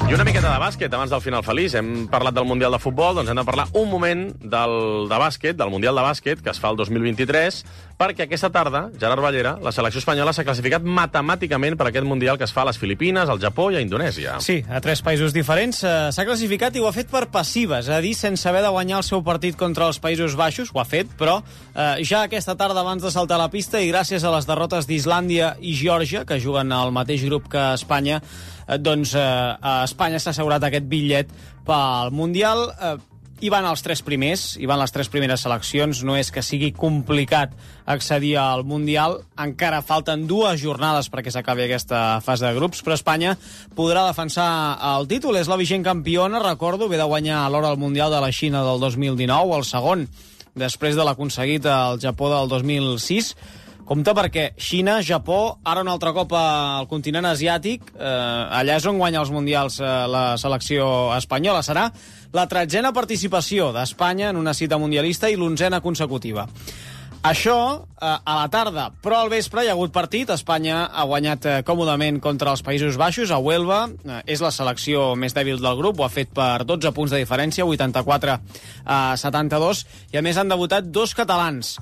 I una miqueta de bàsquet, abans del final feliç. Hem parlat del Mundial de Futbol, doncs hem de parlar un moment del, de bàsquet, del Mundial de Bàsquet, que es fa el dos mil vint-i-tres, perquè aquesta tarda, Gerard Ballera, la selecció espanyola s'ha classificat matemàticament per aquest Mundial que es fa a les Filipines, al Japó i a Indonèsia. Sí, a tres països diferents. S'ha classificat i ho ha fet per passiva, és a dir, sense haver de guanyar el seu partit contra els Països Baixos, ho ha fet, però eh, ja aquesta tarda abans de saltar a la pista i gràcies a les derrotes d'Islàndia i Geòrgia, que juguen al mateix grup que Espanya, doncs eh, a Espanya s'ha assegurat aquest bitllet pel Mundial. Eh, hi van els tres primers, hi van les tres primeres seleccions. No és que sigui complicat accedir al Mundial, encara falten dues jornades perquè s'acabi aquesta fase de grups, però Espanya podrà defensar el títol. És la vigent campiona, recordo, ve de guanyar l'or al Mundial de la Xina del dos mil dinou, el segon després de l'aconseguit al Japó del dos mil sis. Compte perquè Xina, Japó, ara un altre cop al continent asiàtic, eh, allà és on guanya els mundials eh, la selecció espanyola. Serà la tretzena participació d'Espanya en una cita mundialista i l'onzena consecutiva. Això eh, a la tarda, però al vespre hi ha hagut partit. Espanya ha guanyat eh, còmodament contra els Països Baixos, a Huelva. Eh, és la selecció més dèbil del grup, ho ha fet per dotze punts de diferència, vuitanta-quatre a setanta-dos, i a més han debutat dos catalans,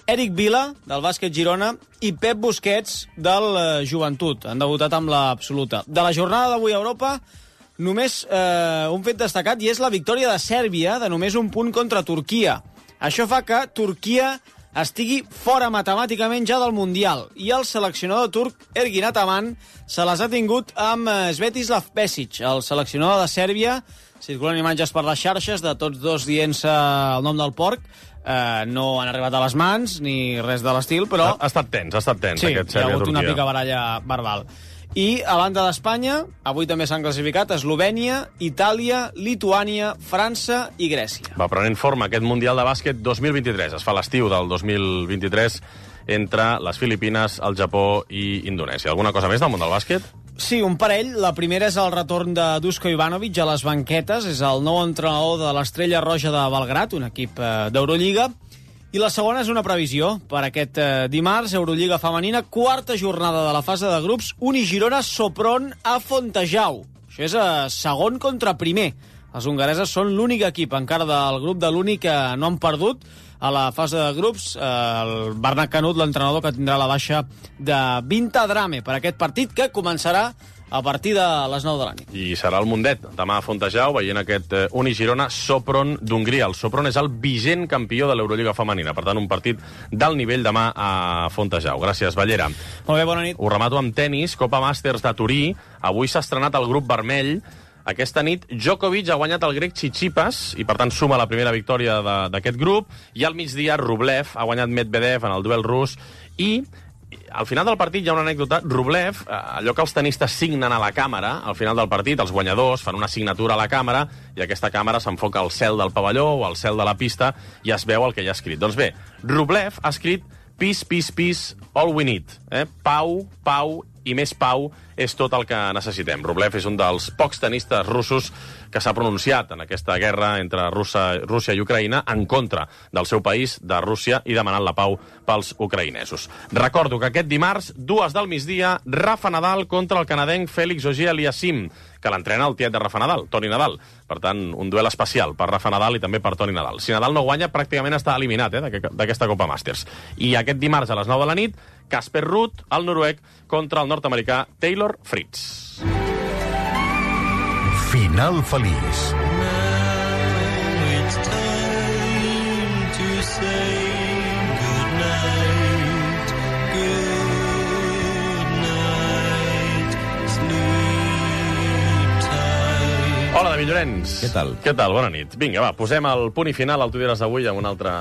Eric Vila, del Bàsquet Girona, i Pep Busquets, del eh, Joventut. Han debutat amb l'absoluta. De la jornada d'avui a Europa, només eh, un fet destacat, i és la victòria de Sèrbia, de només un punt contra Turquia. Això fa que Turquia estigui fora matemàticament ja del Mundial, i el seleccionador turc, Ergin Ataman, se les ha tingut amb Svetislav Pesic, el seleccionador de Sèrbia. Circulen imatges per les xarxes de tots dos dient-se el nom del porc. Uh, no han arribat a les mans ni res de l'estil, però... Ha, ha estat tens, ha estat tens, sí, aquest Sèrbia-Turquia. Sí, hi ha hagut Turquia. una picabaralla verbal. I a banda d'Espanya, avui també s'han classificat Eslovènia, Itàlia, Lituània, França i Grècia. Va prenent forma aquest Mundial de Bàsquet dos mil vint-i-tres. Es fa l'estiu del dos mil vint-i-tres entre les Filipines, el Japó i Indonèsia. Alguna cosa més del món del bàsquet? Sí, un parell. La primera és el retorn de Duško Ivanović a les banquetes. És el nou entrenador de l'Estrella Roja de Belgrat, un equip eh, d'Eurolliga. I la segona és una previsió per aquest eh, dimarts, Eurolliga femenina, quarta jornada de la fase de grups, Uni Girona Sopron a Fontejau. Això és eh, segon contra primer. Les hongareses són l'únic equip encara del grup de l'Uni que no han perdut a la fase de grups. Eh, el Bernat Canut, l'entrenador, que tindrà la baixa de Vinta Drame per aquest partit, que començarà a partir de les nou de la nit. I serà el Mundet, demà a Fontejau, veient aquest eh, Uni Girona Sopron d'Hongria. El Sopron és el vigent campió de l'Eurolliga femenina, per tant, un partit d'alt nivell demà a Fontejau. Gràcies, Ballera. Molt bé, bona nit. Ho remato amb tennis, Copa Masters de Turí. Avui s'ha estrenat el grup vermell. Aquesta nit, Djokovic ha guanyat el grec Tsitsipas i, per tant, suma la primera victòria d'aquest grup. I al migdia, Rublev ha guanyat Medvedev en el duel rus. I al final del partit hi ha una anècdota. Rublev, allò que els tenistes signen a la càmera, al final del partit, els guanyadors fan una signatura a la càmera i aquesta càmera s'enfoca al cel del pavelló o al cel de la pista i es veu el que hi ha escrit. Doncs bé, Rublev ha escrit peace, peace, peace, all we need. Eh? Pau, pau i més pau és tot el que necessitem. Rublev és un dels pocs tenistes russos que s'ha pronunciat en aquesta guerra entre Rússia, Rússia i Ucraïna en contra del seu país, de Rússia, i demanant la pau pels ucraïnesos. Recordo que aquest dimarts, dues del migdia, Rafa Nadal contra el canadenc Félix Auger-Aliassime, que l'entrena el tiet de Rafa Nadal, Toni Nadal. Per tant, un duel especial per Rafa Nadal i també per Toni Nadal. Si Nadal no guanya, pràcticament està eliminat eh, d'aquesta Copa Masters. I aquest dimarts a les nou de la nit, Casper Ruud, el noruec, contra el nord-americà Taylor Fritz. Final feliç. Hola, David Llorenç. Què tal? Què tal? Bona nit. Vinga, va, posem el punt i final al Tu diràs d'avui amb un altre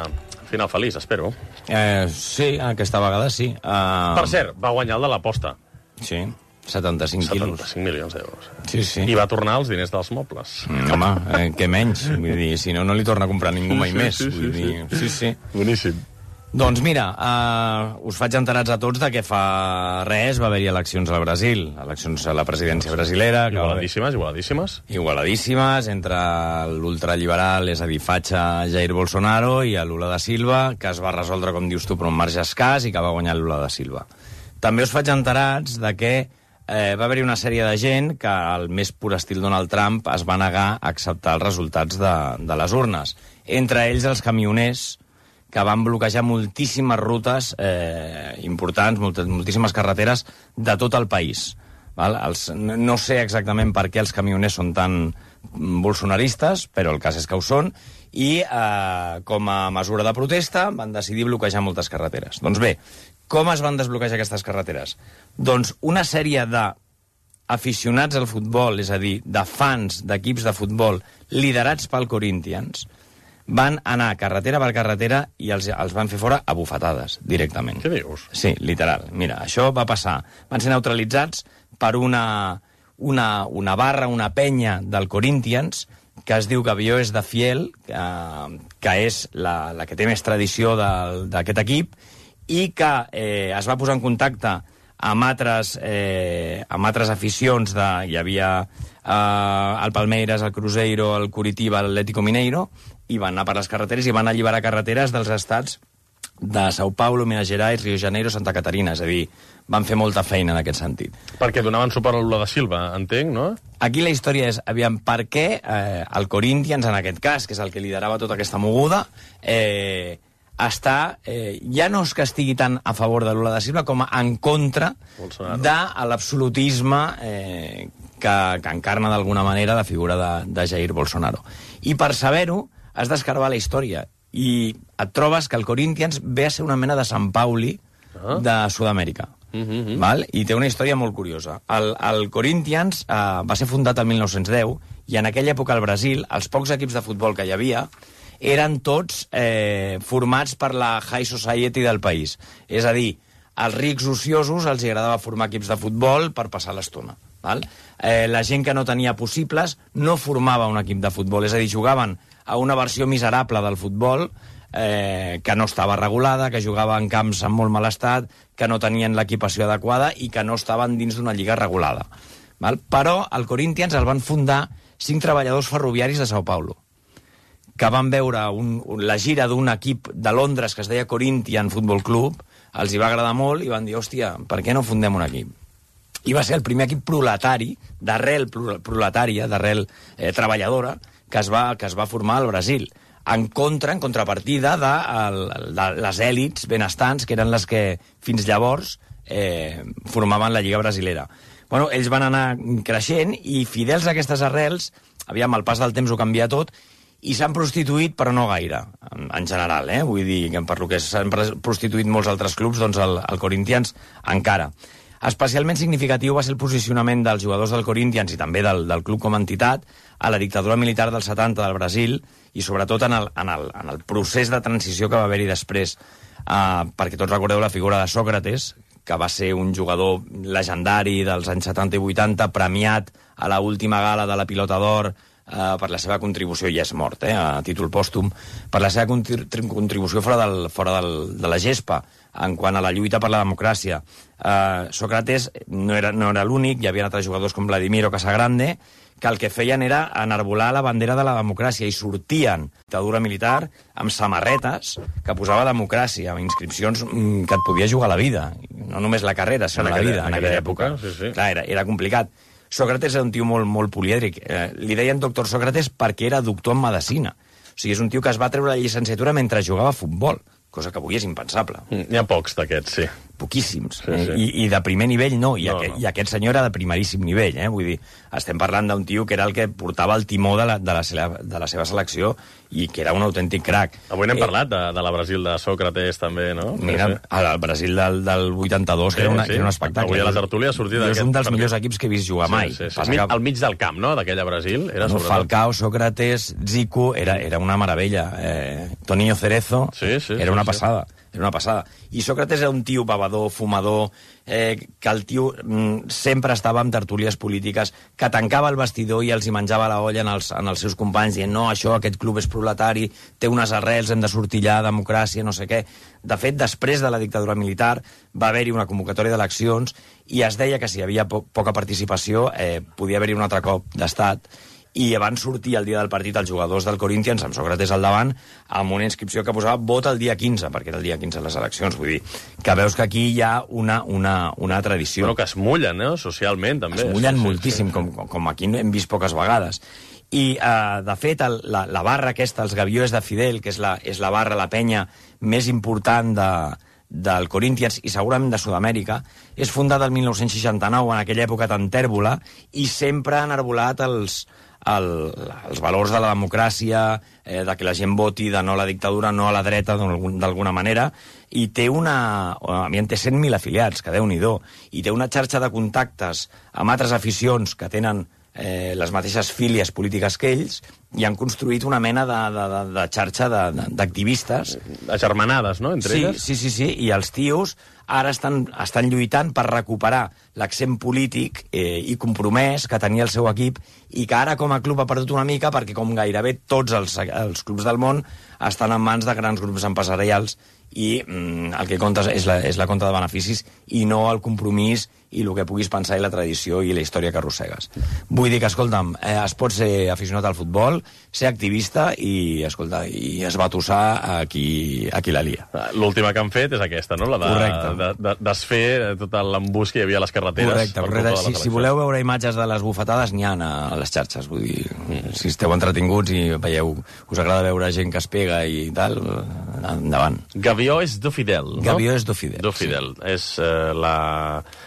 final feliç, espero. Eh, sí, aquesta vegada sí. Uh... Per cert, va guanyar el de l'aposta. Sí, setanta-cinc quilos. setanta-cinc milions d'euros. Sí, sí. I va tornar els diners dels mobles. Mm, home, eh, què menys? Vull dir, si no, no li torna a comprar ningú mai sí, més. Sí, sí, Vull dir, sí. sí, sí. Boníssim. Doncs mira, uh, us faig enterats a tots de que fa res va haver-hi eleccions al Brasil, eleccions a la presidència brasilera. Igualadíssimes, igualadíssimes. Igualadíssimes, entre l'ultraliberal, és a dir, fatxa Jair Bolsonaro, i Lula da Silva, que es va resoldre, com dius tu, per un marge escàs i que va guanyar Lula da Silva. També us faig enterats de que eh, va haver-hi una sèrie de gent que, al més pur estil Donald Trump, es va negar a acceptar els resultats de, de les urnes. Entre ells els camioners, que van bloquejar moltíssimes rutes eh, importants, molt, moltíssimes carreteres de tot el país. Val? Els, no sé exactament per què els camioners són tan bolsonaristes, però el cas és que ho són, i eh, com a mesura de protesta van decidir bloquejar moltes carreteres. Doncs bé, com es van desbloquejar aquestes carreteres? Doncs una sèrie d'aficionats al futbol, és a dir, de fans d'equips de futbol liderats pel Corinthians, van anar carretera per carretera i els, els van fer fora a bufetades, directament. Què dius? Sí, literal. Mira, això va passar. Van ser neutralitzats per una, una, una barra, una penya del Corinthians, que es diu Gavió és de Fiel, que, que és la, la que té més tradició d'aquest equip, i que eh, es va posar en contacte amb altres, eh, amb altres aficions. De, hi havia eh, el Palmeiras, el Cruzeiro, el Curitiba, l'Atlético Mineiro, i van anar per les carreteres i van alliberar carreteres dels estats de São Paulo, Minas Gerais, Rio de Janeiro, Santa Catarina. És a dir, van fer molta feina en aquest sentit. Perquè donaven suport a Lula da Silva, entenc, no? Aquí la història és, aviam, per què eh, el Corinthians, en aquest cas, que és el que liderava tota aquesta moguda, eh, està, eh, ja no és que estigui tant a favor de Lula da Silva com en contra Bolsonaro. De l'absolutisme eh, que, que encarna d'alguna manera la figura de, de Jair Bolsonaro. I per saber-ho, has d'escarbar la història i et trobes que el Corinthians ve a ser una mena de Sant Pauli ah. de Sud-amèrica. Uh -huh. Val? I té una història molt curiosa. El, el Corinthians eh, va ser fundat el mil nou-cents deu i en aquella època al Brasil els pocs equips de futbol que hi havia eren tots eh, formats per la high society del país. És a dir, als rics ociosos els agradava formar equips de futbol per passar l'estona. Val? Eh, la gent que no tenia possibles no formava un equip de futbol, és a dir, jugaven a una versió miserable del futbol eh, que no estava regulada, que jugava en camps en molt mal estat, que no tenien l'equipació adequada i que no estaven dins d'una lliga regulada. Val? Però el Corinthians el van fundar cinc treballadors ferroviaris de Sao Paulo, que van veure un, un, la gira d'un equip de Londres que es deia Corinthians Football Club, els hi va agradar molt i van dir, hòstia, per què no fundem un equip? I va ser el primer equip proletari, d'arrel proletària, d'arrel eh, treballadora, que es, va, que es va formar al Brasil, en contra, en contrapartida de, el, de les èlits benestants, que eren les que fins llavors eh, formaven la Lliga Brasilera. Bueno, ells van anar creixent i, fidels a aquestes arrels, aviam, el pas del temps ho canvia tot, i s'han prostituït, però no gaire, en, en general, eh? Vull dir que per lo que s'han prostituït molts altres clubs, doncs el, el Corinthians encara. Especialment significatiu va ser el posicionament dels jugadors del Corinthians i també del, del club com a entitat a la dictadura militar dels setanta del Brasil i sobretot en el, en el, en el procés de transició que va haver-hi després. Uh, perquè tots recordeu la figura de Sòcrates, que va ser un jugador legendari dels anys setanta i vuitanta, premiat a la última gala de la Pilota d'Or eh, per la seva contribució, i és mort, eh, a títol pòstum, per la seva contribució fora, del, fora del, de la gespa, en quant a la lluita per la democràcia. Eh, Sòcrates no era, no era l'únic, hi havia altres jugadors com Vladimiro Casagrande, que el que feien era enarbolar la bandera de la democràcia i sortien dictadura militar amb samarretes que posava democràcia, amb inscripcions que et podia jugar la vida, no només la carrera, sinó la vida, en aquella època. Sí, sí. Clar, era, era complicat. Sòcrates era un tio molt, molt polièdric. Eh, li deien doctor Sòcrates perquè era doctor en medicina. O sigui, és un tio que es va treure la llicenciatura mentre jugava a futbol, cosa que avui és impensable. N'hi ha pocs d'aquests, sí. Poquíssims. Sí, sí. Eh? I, I de primer nivell no, i, no, aqu no. i aquest senyor era de primeríssim nivell, eh? Vull dir, estem parlant d'un tio que era el que portava el timó de la, de la, seva, de la seva selecció i que era un autèntic crac. Avui n'hem eh, parlat de, de la Brasil de Sòcrates, també, no? Mira, sí, sí. el Brasil del, del vuitanta-dos, sí, que, era una, sí. que era un espectacle. Avui a la tertúlia ha sortit... És un dels millors equips que he vist jugar mai. Sí, sí, sí. Que... Al mig del camp, no?, d'aquella Brasil. Era no, Falcao, Sòcrates, Zico, era, era una meravella. Eh, Toninho Cerezo, sí, sí, era una sí, passada. Sí. Era una passada. I Sòcrates era un tio bebedor, fumador, eh, que el tio mm, sempre estava en tertúlies polítiques, que tancava el vestidor i els hi menjava la olla en els, en els seus companys, dient, no, això, aquest club és proletari, té unes arrels, hem de sortir allà, democràcia, no sé què. De fet, després de la dictadura militar va haver-hi una convocatòria d'eleccions i es deia que si hi havia po poca participació eh, podia haver-hi un altre cop d'estat, i van sortir el dia del partit els jugadors del Corinthians, amb Sòcrates al davant, amb una inscripció que posava vot el dia quinze, perquè era el dia quinze de les eleccions. Vull dir, que veus que aquí hi ha una, una, una tradició. Però que es mullen, no?, socialment, també. Es mullen sí, moltíssim, sí, sí. Com, com aquí hem vist poques vegades. I, eh, de fet, el, la, la barra aquesta, els Gaviós de Fidel, que és la, és la barra, la penya més important de, del Corinthians i segurament de Sud-amèrica, és fundada el mil nou-cents seixanta-nou, en aquella època tan tèrbola, i sempre ha enarbolat els, el, els valors de la democràcia, eh, de que la gent voti de no a la dictadura, no a la dreta, d'alguna manera, i té una... A mi en té cent mil afiliats, que Déu-n'hi-do, i té una xarxa de contactes amb altres aficions que tenen eh, les mateixes fílies polítiques que ells, i han construït una mena de, de, de, de xarxa d'activistes. Agermanades, no?, entre sí, elles? Sí, sí, sí, i els tios ara estan, estan lluitant per recuperar l'accent polític eh, i compromès que tenia el seu equip i que ara com a club ha perdut una mica perquè com gairebé tots els, els clubs del món estan en mans de grans grups empresarials i mm, el que compta és la, és la compta de beneficis i no el compromís i el que puguis pensar i la tradició i la història que arrossegues. Vull dir que, escolta'm, eh, es pot ser aficionat al futbol, ser activista i, escolta, i esbatussar a qui, a qui la lia. L'última que han fet és aquesta, no?, la de, de, de desfer tot l'embús que hi havia a les carreteres. Correcte, correcte. Si, si voleu veure imatges de les bufetades, n'hi ha a les xarxes. Vull dir, mm. si esteu entretinguts i veieu, us agrada veure gent que es pega i tal, endavant. Gavió és do Fidel, no? Gavió és do Fidel. Do Fidel. Sí. És uh, la...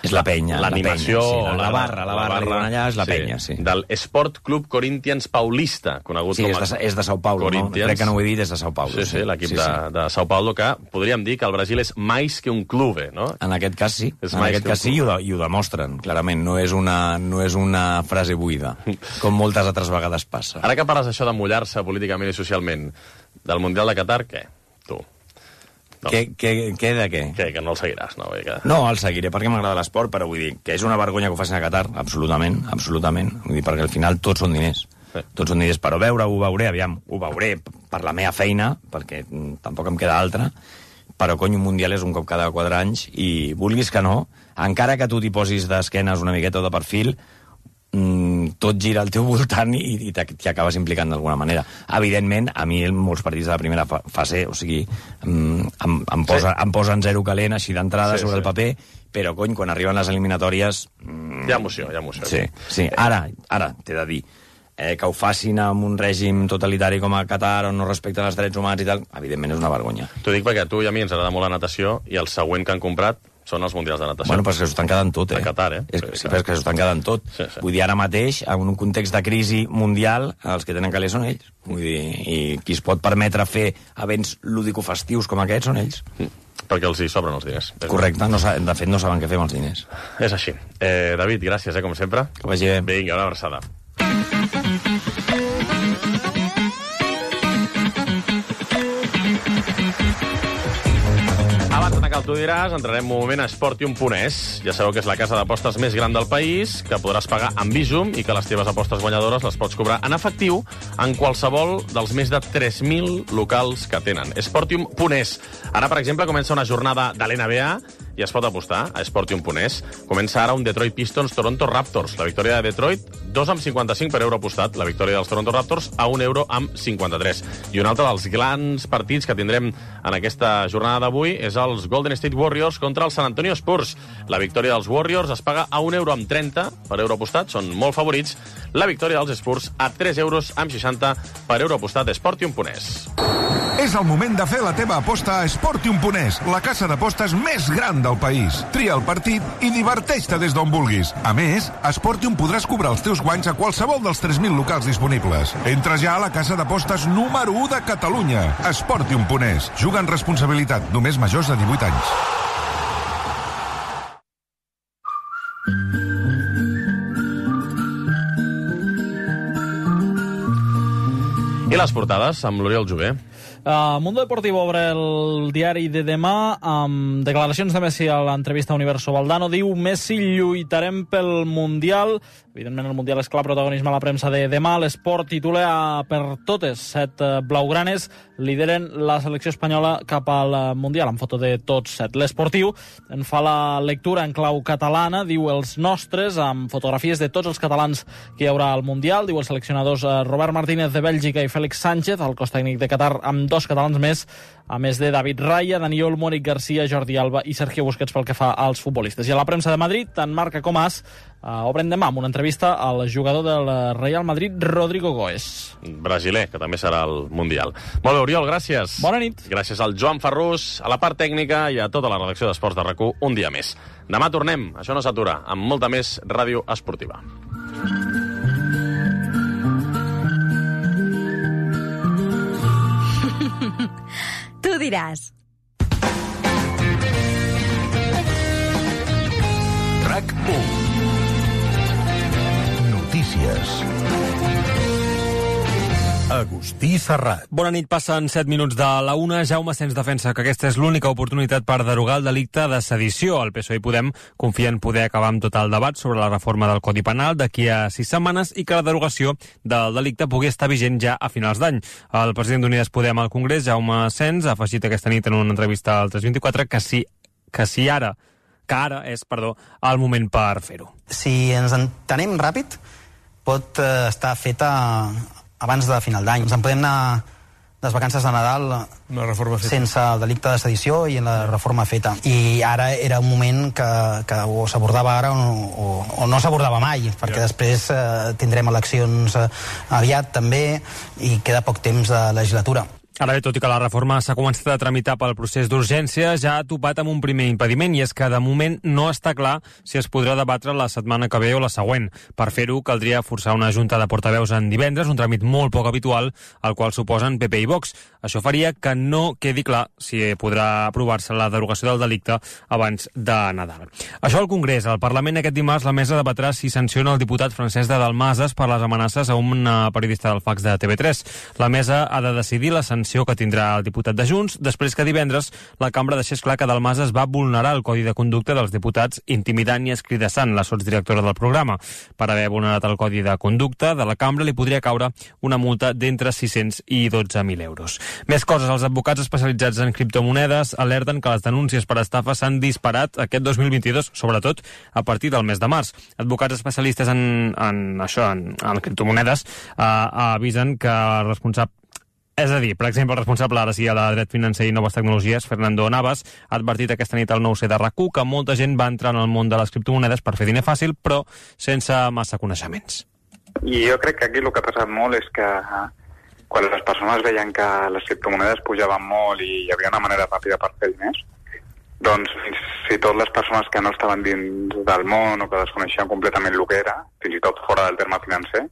És la penya. L'animació... Sí, la, la barra, la barra, la barra allà és la sí, penya, sí. Del Sport Club Corinthians Paulista, conegut sí, com... Sí, és, és de Sao Paulo, no? Crec que no ho he dit, és de Sao Paulo. Sí, sí, sí l'equip sí, de, sí. de Sao Paulo, que podríem dir que el Brasil és més que un clube, no? En aquest cas sí, és en aquest cas sí, i ho, i ho demostren, clarament. No és, una, no és una frase buida, com moltes altres vegades passa. Ara que parles això de mullar-se políticament i socialment, del Mundial de Qatar, què? Tu? No. Què, què, què de què? Que, que no el seguiràs, no? Que... No, el seguiré perquè m'agrada l'esport, però vull dir que és una vergonya que ho facin a Qatar, absolutament, absolutament. Vull dir, perquè al final tots són diners. Sí. Tots són diners, però veure, ho veuré, aviam, ho veuré per la meva feina, perquè tampoc em queda altra, però, cony, un Mundial és un cop cada quatre anys, i vulguis que no, encara que tu t'hi posis d'esquenes una miqueta o de perfil, mm, tot gira al teu voltant i, i t'hi acabes implicant d'alguna manera. Evidentment, a mi molts partits de la primera fase, o sigui, mm, em, em, posa, sí. em posen zero calent així d'entrada sí, sobre sí. el paper, però, cony, quan arriben les eliminatòries... Mm, hi ha emoció, hi ha emoció. Sí, sí. Ara, ara t'he de dir, eh, que ho facin amb un règim totalitari com a Qatar, on no respecten els drets humans i tal, evidentment és una vergonya. T'ho dic perquè a tu i a mi ens agrada molt la natació, i el següent que han comprat són els Mundials de natació. Bueno, però és que s'ho estan quedant tot, eh? A Qatar, eh? És, sí, però és que s'ho estan quedant tot. Sí, sí. Vull dir, ara mateix, en un context de crisi mundial, els que tenen calés són ells. Vull dir, i qui es pot permetre fer events lúdico-festius com aquests són ells. Mm. Perquè els hi sobren els diners. Correcte, no, de fet no saben què fer amb els diners. És així. Eh, David, gràcies, eh, com sempre. Que vagi bé. Vinga, una abraçada. Abans d'anar que tu diràs, entrarem un moment a Sportium punt es. Ja sabeu que és la casa d'apostes més gran del país, que podràs pagar amb Bizum i que les teves apostes guanyadores les pots cobrar en efectiu en qualsevol dels més de tres mil locals que tenen. Sportium punt es. Ara, per exemple, comença una jornada de l'N B A i es pot apostar a Sportium punt es. Comença ara un Detroit Pistons Toronto Raptors. La victòria de Detroit, dos amb cinquanta-cinc per euro apostat. La victòria dels Toronto Raptors a un euro amb cinquanta-tres. I un altre dels grans partits que tindrem en aquesta jornada d'avui és els Golden State Warriors contra el San Antonio Spurs. La victòria dels Warriors es paga a un euro amb trenta per euro apostat. Són molt favorits. La victòria dels Spurs a tres euros amb seixanta per euro apostat a Sportium punt es. És el moment de fer la teva aposta a Sportium punt es, la casa d'apostes més gran del país. Tria el partit i diverteix-te des d'on vulguis. A més, a Sportium podràs cobrar els teus guanys a qualsevol dels tres mil locals disponibles. Entra ja a la casa d'apostes número u de Catalunya. Sportium punt es. Juga amb responsabilitat. Només majors de divuit anys. I les portades amb l'Oriol Jové. Uh, Mundo Deportivo obre el diari de demà amb declaracions de Messi a l'entrevista a Universo Valdano. Diu: Messi, lluitarem pel Mundial. Evidentment el Mundial és clar protagonisme a la premsa de demà. L'Esport titula per totes. Set blaugranes lideren la selecció espanyola cap al Mundial, amb foto de tots set. L'Esportiu en fa la lectura en clau catalana. Diu els nostres, amb fotografies de tots els catalans que hi haurà al Mundial. Diu els seleccionadors Robert Martínez de Bèlgica i Félix Sánchez, el cos tècnic de Qatar, amb dos catalans més, a més de David Raya, Dani Olmo, Eric Garcia, Jordi Alba i Sergio Busquets pel que fa als futbolistes. I a la premsa de Madrid, tant Marca com As uh, obren demà amb una entrevista al jugador del Real Madrid, Rodrigo Goes. Brasiler, que també serà al Mundial. Molt bé, Oriol, gràcies. Bona nit. Gràcies al Joan Ferrús, a la part tècnica i a tota la redacció d'Esports de RAC u un dia més. Demà tornem, això no s'atura, amb molta més ràdio esportiva. Tu diràs. RAC u. Notícies. Agustí Serrat. Bona nit, passen set minuts de la una. Jaume Sens defensa que aquesta és l'única oportunitat per derogar el delicte de sedició. El P S O E i Podem confien en poder acabar amb tot el debat sobre la reforma del Codi Penal d'aquí a sis setmanes i que la derogació del delicte pugui estar vigent ja a finals d'any. El president d'Unides Podem al Congrés, Jaume Sens, ha afegit aquesta nit en una entrevista al tres vint-i-quatre que si, que si ara, que ara és, perdó, el moment per fer-ho. Si ens entenem ràpid, pot eh, estar feta abans de final d'any. Ens en podem anar les vacances de Nadal Una reforma feta. sense el delicte de sedició i en la reforma feta. I ara era un moment que, que o s'abordava ara o, o, o no s'abordava mai, perquè ja. després eh, tindrem eleccions eh, aviat també i queda poc temps de legislatura. Ara bé, tot i que la reforma s'ha començat a tramitar pel procés d'urgència, ja ha topat amb un primer impediment, i és que de moment no està clar si es podrà debatre la setmana que ve o la següent. Per fer-ho, caldria forçar una junta de portaveus en divendres, un tràmit molt poc habitual, al qual suposen P P i Vox. Això faria que no quedi clar si podrà aprovar-se la derogació del delicte abans de Nadal. Això al Congrés. Al Parlament aquest dimarts la mesa debatrà si sanciona el diputat Francesc de Dalmases per les amenaces a una periodista del fax de T V tres. La mesa ha de decidir la sanció l'actuació que tindrà el diputat de Junts, després que divendres la cambra deixés clar que Dalmases va vulnerar el codi de conducta dels diputats intimidant i escridassant la sotsdirectora del programa. Per haver vulnerat el codi de conducta de la cambra li podria caure una multa d'entre sis-cents i dotze mil euros. Més coses, els advocats especialitzats en criptomonedes alerten que les denúncies per estafa s'han disparat aquest dos mil vint-i-dos, sobretot a partir del mes de març. Advocats especialistes en, en això, en, en criptomonedes, eh, avisen que el responsable És a dir, per exemple, el responsable ara sí a la dret financer i noves tecnologies, Fernando Navas, ha advertit aquesta nit al nou C de R A C U que molta gent va entrar en el món de les criptomonedes per fer diner fàcil, però sense massa coneixements. I jo crec que aquí el que ha passat molt és que quan les persones veien que les criptomonedes pujaven molt i hi havia una manera ràpida per fer diners, doncs fins i tot les persones que no estaven dins del món o que desconeixien completament el que era, fins i tot fora del terme financer,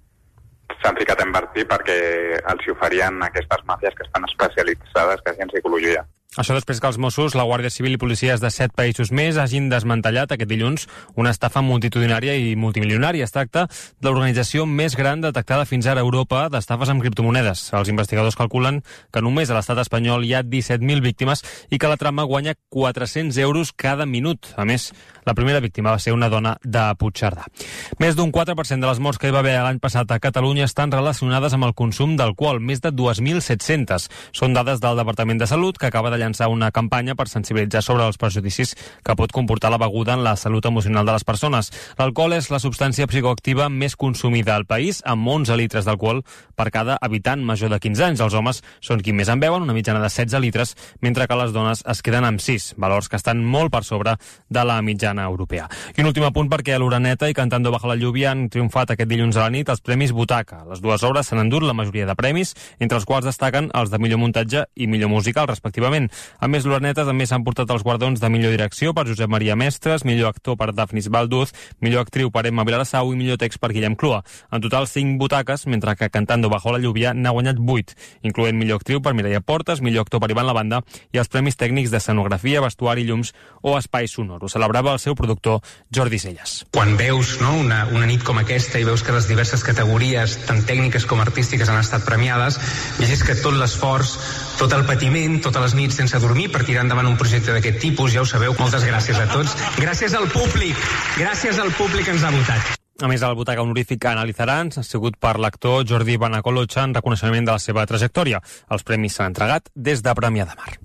s'han ficat a invertir perquè els hi oferien aquestes màfies que estan especialitzades quasi en psicologia. Això després que els Mossos, la Guàrdia Civil i policies de set països més hagin desmantellat aquest dilluns una estafa multitudinària i multimilionària. Es tracta de l'organització més gran detectada fins ara a Europa d'estafes amb criptomonedes. Els investigadors calculen que només a l'estat espanyol hi ha disset mil víctimes i que la trama guanya quatre-cents euros cada minut. A més, la primera víctima va ser una dona de Puigcerdà. Més d'un quatre per cent de les morts que hi va haver l'any passat a Catalunya estan relacionades amb el consum d'alcohol, més de dos mil set-cents. Són dades del Departament de Salut, que acaba de llançar una campanya per sensibilitzar sobre els perjudicis que pot comportar la beguda en la salut emocional de les persones. L'alcohol és la substància psicoactiva més consumida al país, amb onze litres d'alcohol per cada habitant major de quinze anys. Els homes són qui més en beuen, una mitjana de setze litres, mentre que les dones es queden amb sis, valors que estan molt per sobre de la mitjana europea. I un últim apunt perquè a l'Uraneta i Cantando bajo la lluvia han triomfat aquest dilluns a la nit els Premis Butaca. Les dues obres s'han endut la majoria de premis, entre els quals destaquen els de millor muntatge i millor musical, respectivament. A més, l'Uraneta també s'han portat els guardons de millor direcció per Josep Maria Mestres, millor actor per Dafnis Balduz, millor actriu per Emma Vilarassau i millor text per Guillem Clua. En total, cinc butaques, mentre que Cantando bajo la lluvia n'ha guanyat vuit, incloent millor actriu per Mireia Portes, millor actor per Ivan Lavanda i els premis tècnics d'escenografia, vestuari, llums o espai sonor. Ho celebrava el seu productor Jordi Celles. Quan veus no, una, una nit com aquesta i veus que les diverses categories, tant tècniques com artístiques, han estat premiades, llegis que tot l'esforç, tot el patiment, totes les nits sense dormir per tirar endavant un projecte d'aquest tipus, ja ho sabeu. Moltes gràcies a tots. Gràcies al públic. Gràcies al públic que ens ha votat. A més, el butaca honorífic que analitzaran ha sigut per l'actor Jordi Banacolocha en reconeixement de la seva trajectòria. Els premis s'han entregat des de Premià de Mar.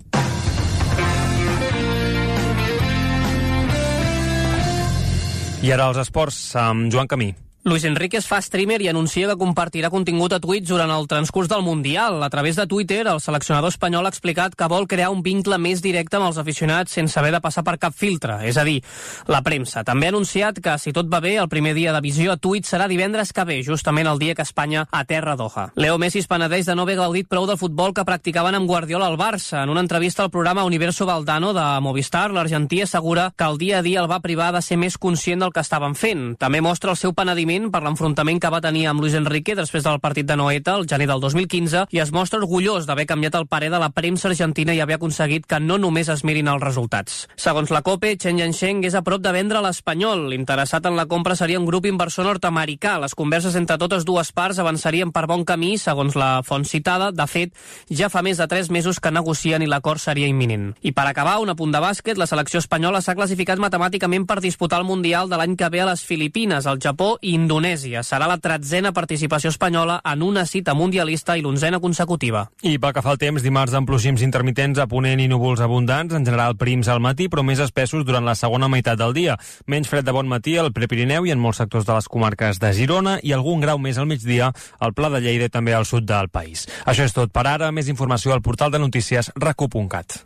I ara els esports amb Joan Camí. Luis Enrique es fa streamer i anuncia que compartirà contingut a Twitch durant el transcurs del Mundial. A través de Twitter, el seleccionador espanyol ha explicat que vol crear un vincle més directe amb els aficionats sense haver de passar per cap filtre, és a dir, la premsa. També ha anunciat que, si tot va bé, el primer dia de visió a Twitch serà divendres que ve, justament el dia que Espanya aterra a Doha. Leo Messi es penedeix de no haver gaudit prou del futbol que practicaven amb Guardiola al Barça. En una entrevista al programa Universo Valdano de Movistar, l'argentí assegura que el dia a dia el va privar de ser més conscient del que estaven fent. També mostra el seu penediment per l'enfrontament que va tenir amb Luis Enrique després del partit de Noeta el gener del dos mil quinze i es mostra orgullós d'haver canviat el parer de la premsa argentina i haver aconseguit que no només es mirin els resultats. Segons la COPE, Chen Yansheng és a prop de vendre l'Espanyol. L'interessat en la compra seria un grup inversor nord-americà. Les converses entre totes dues parts avançarien per bon camí, segons la font citada. De fet, ja fa més de tres mesos que negocien i l'acord seria imminent. I per acabar, un apunt de bàsquet, la selecció espanyola s'ha classificat matemàticament per disputar el Mundial de l'any que ve a les Filipines, el Japó i Indonèsia. Serà la tretzena participació espanyola en una cita mundialista i l'onzena consecutiva. I pel que fa al temps, dimarts amb plogims intermitents a ponent i núvols abundants, en general prims al matí, però més espessos durant la segona meitat del dia. Menys fred de bon matí al Prepirineu i en molts sectors de les comarques de Girona i algun grau més al migdia al Pla de Lleida i també al sud del país. Això és tot per ara. Més informació al portal de notícies rac u punt cat.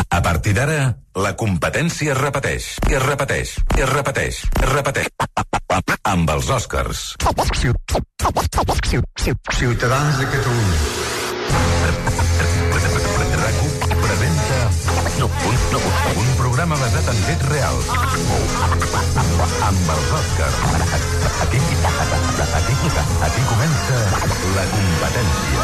A partir d'ara, la competència es repeteix, i es repeteix, i es repeteix, i es repeteix. Amb els Oscars. Ciutadans de Catalunya. RAC u presenta un, un programa basat en fets reals. Amb els Oscars. Aquí, aquí, aquí comença la competència.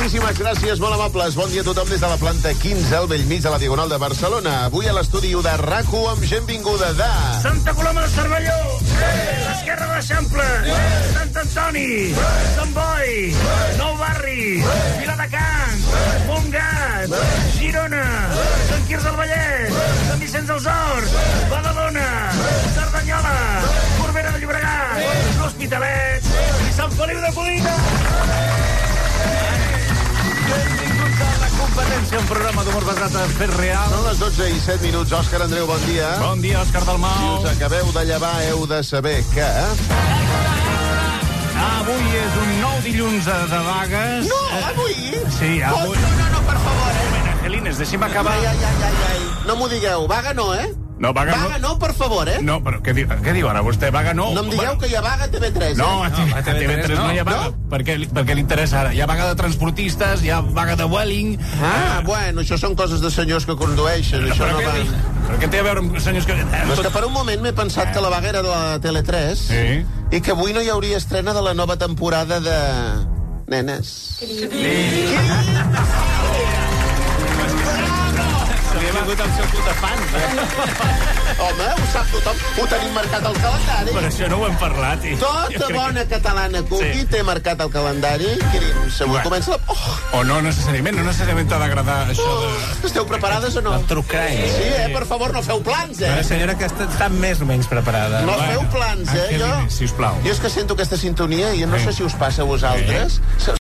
Moltíssimes gràcies, molt amables. Bon dia a tothom des de la planta quinze, al vell mig de la Diagonal de Barcelona. Avui a l'estudi de R A C u amb gent vinguda de... Santa Coloma de Cervelló, l'Esquerra de l'Eixample, Sant Antoni, Sant Boi, Nou Barri, Viladecans, Montgat, Girona, Sant Quirze del Vallès, Sant Vicenç dels Horts, Badalona, Cerdanyola, Corbera de Llobregat, l'Hospitalet i Sant Feliu de Codina. Benvinguts a La Competència, un programa d'humor basat en fets reals. Són les dotze i set minuts. Òscar Andreu, bon dia. Bon dia, Òscar Dalmau. Si us acabeu de llevar, heu de saber que... Avui és un nou dilluns de vagues. No, avui? Sí, avui... No, no, no, per favor, eh? Un moment, Angelines, deixi'm acabar. Ai, ai, ai, ai, ai. No m'ho digueu. Vaga no, eh? No, vaga, vaga no, per favor, eh? No, però què, di què diu ara vostè? Vaga no? No em digueu bueno. que hi ha vaga a T V tres, eh? No, a T V tres no, no hi ha vaga. No? Per què, per què li interessa ara? Hi ha vaga de transportistes, hi ha vaga de Welling... Ah, ah. bueno, això són coses de senyors que condueixen. Però, això però, no què, va... però què té a veure amb senyors que... No, és que per un moment m'he pensat que la vaga era de la Tele tres sí. i que avui no hi hauria estrena de la nova temporada de... Nenes. Sí. Li ha vingut el seu club de fans, eh? Home, ho sap tothom. Ho tenim marcat al calendari. Per això no ho hem parlat. I... Tota bona que... catalana cookie sí. té marcat al calendari. Quirim, segur, bueno. comença la... Oh. O no necessàriament, no necessàriament t'ha d'agradar això oh. de... Esteu preparades o no? El truc crany. Sí, eh? Per favor, no feu plans, eh? La senyora que està, està més o menys preparada. No bueno. feu plans, eh? Jo... Sisplau. Jo és que sento aquesta sintonia i no sí. sé si us passa a vosaltres. Sí.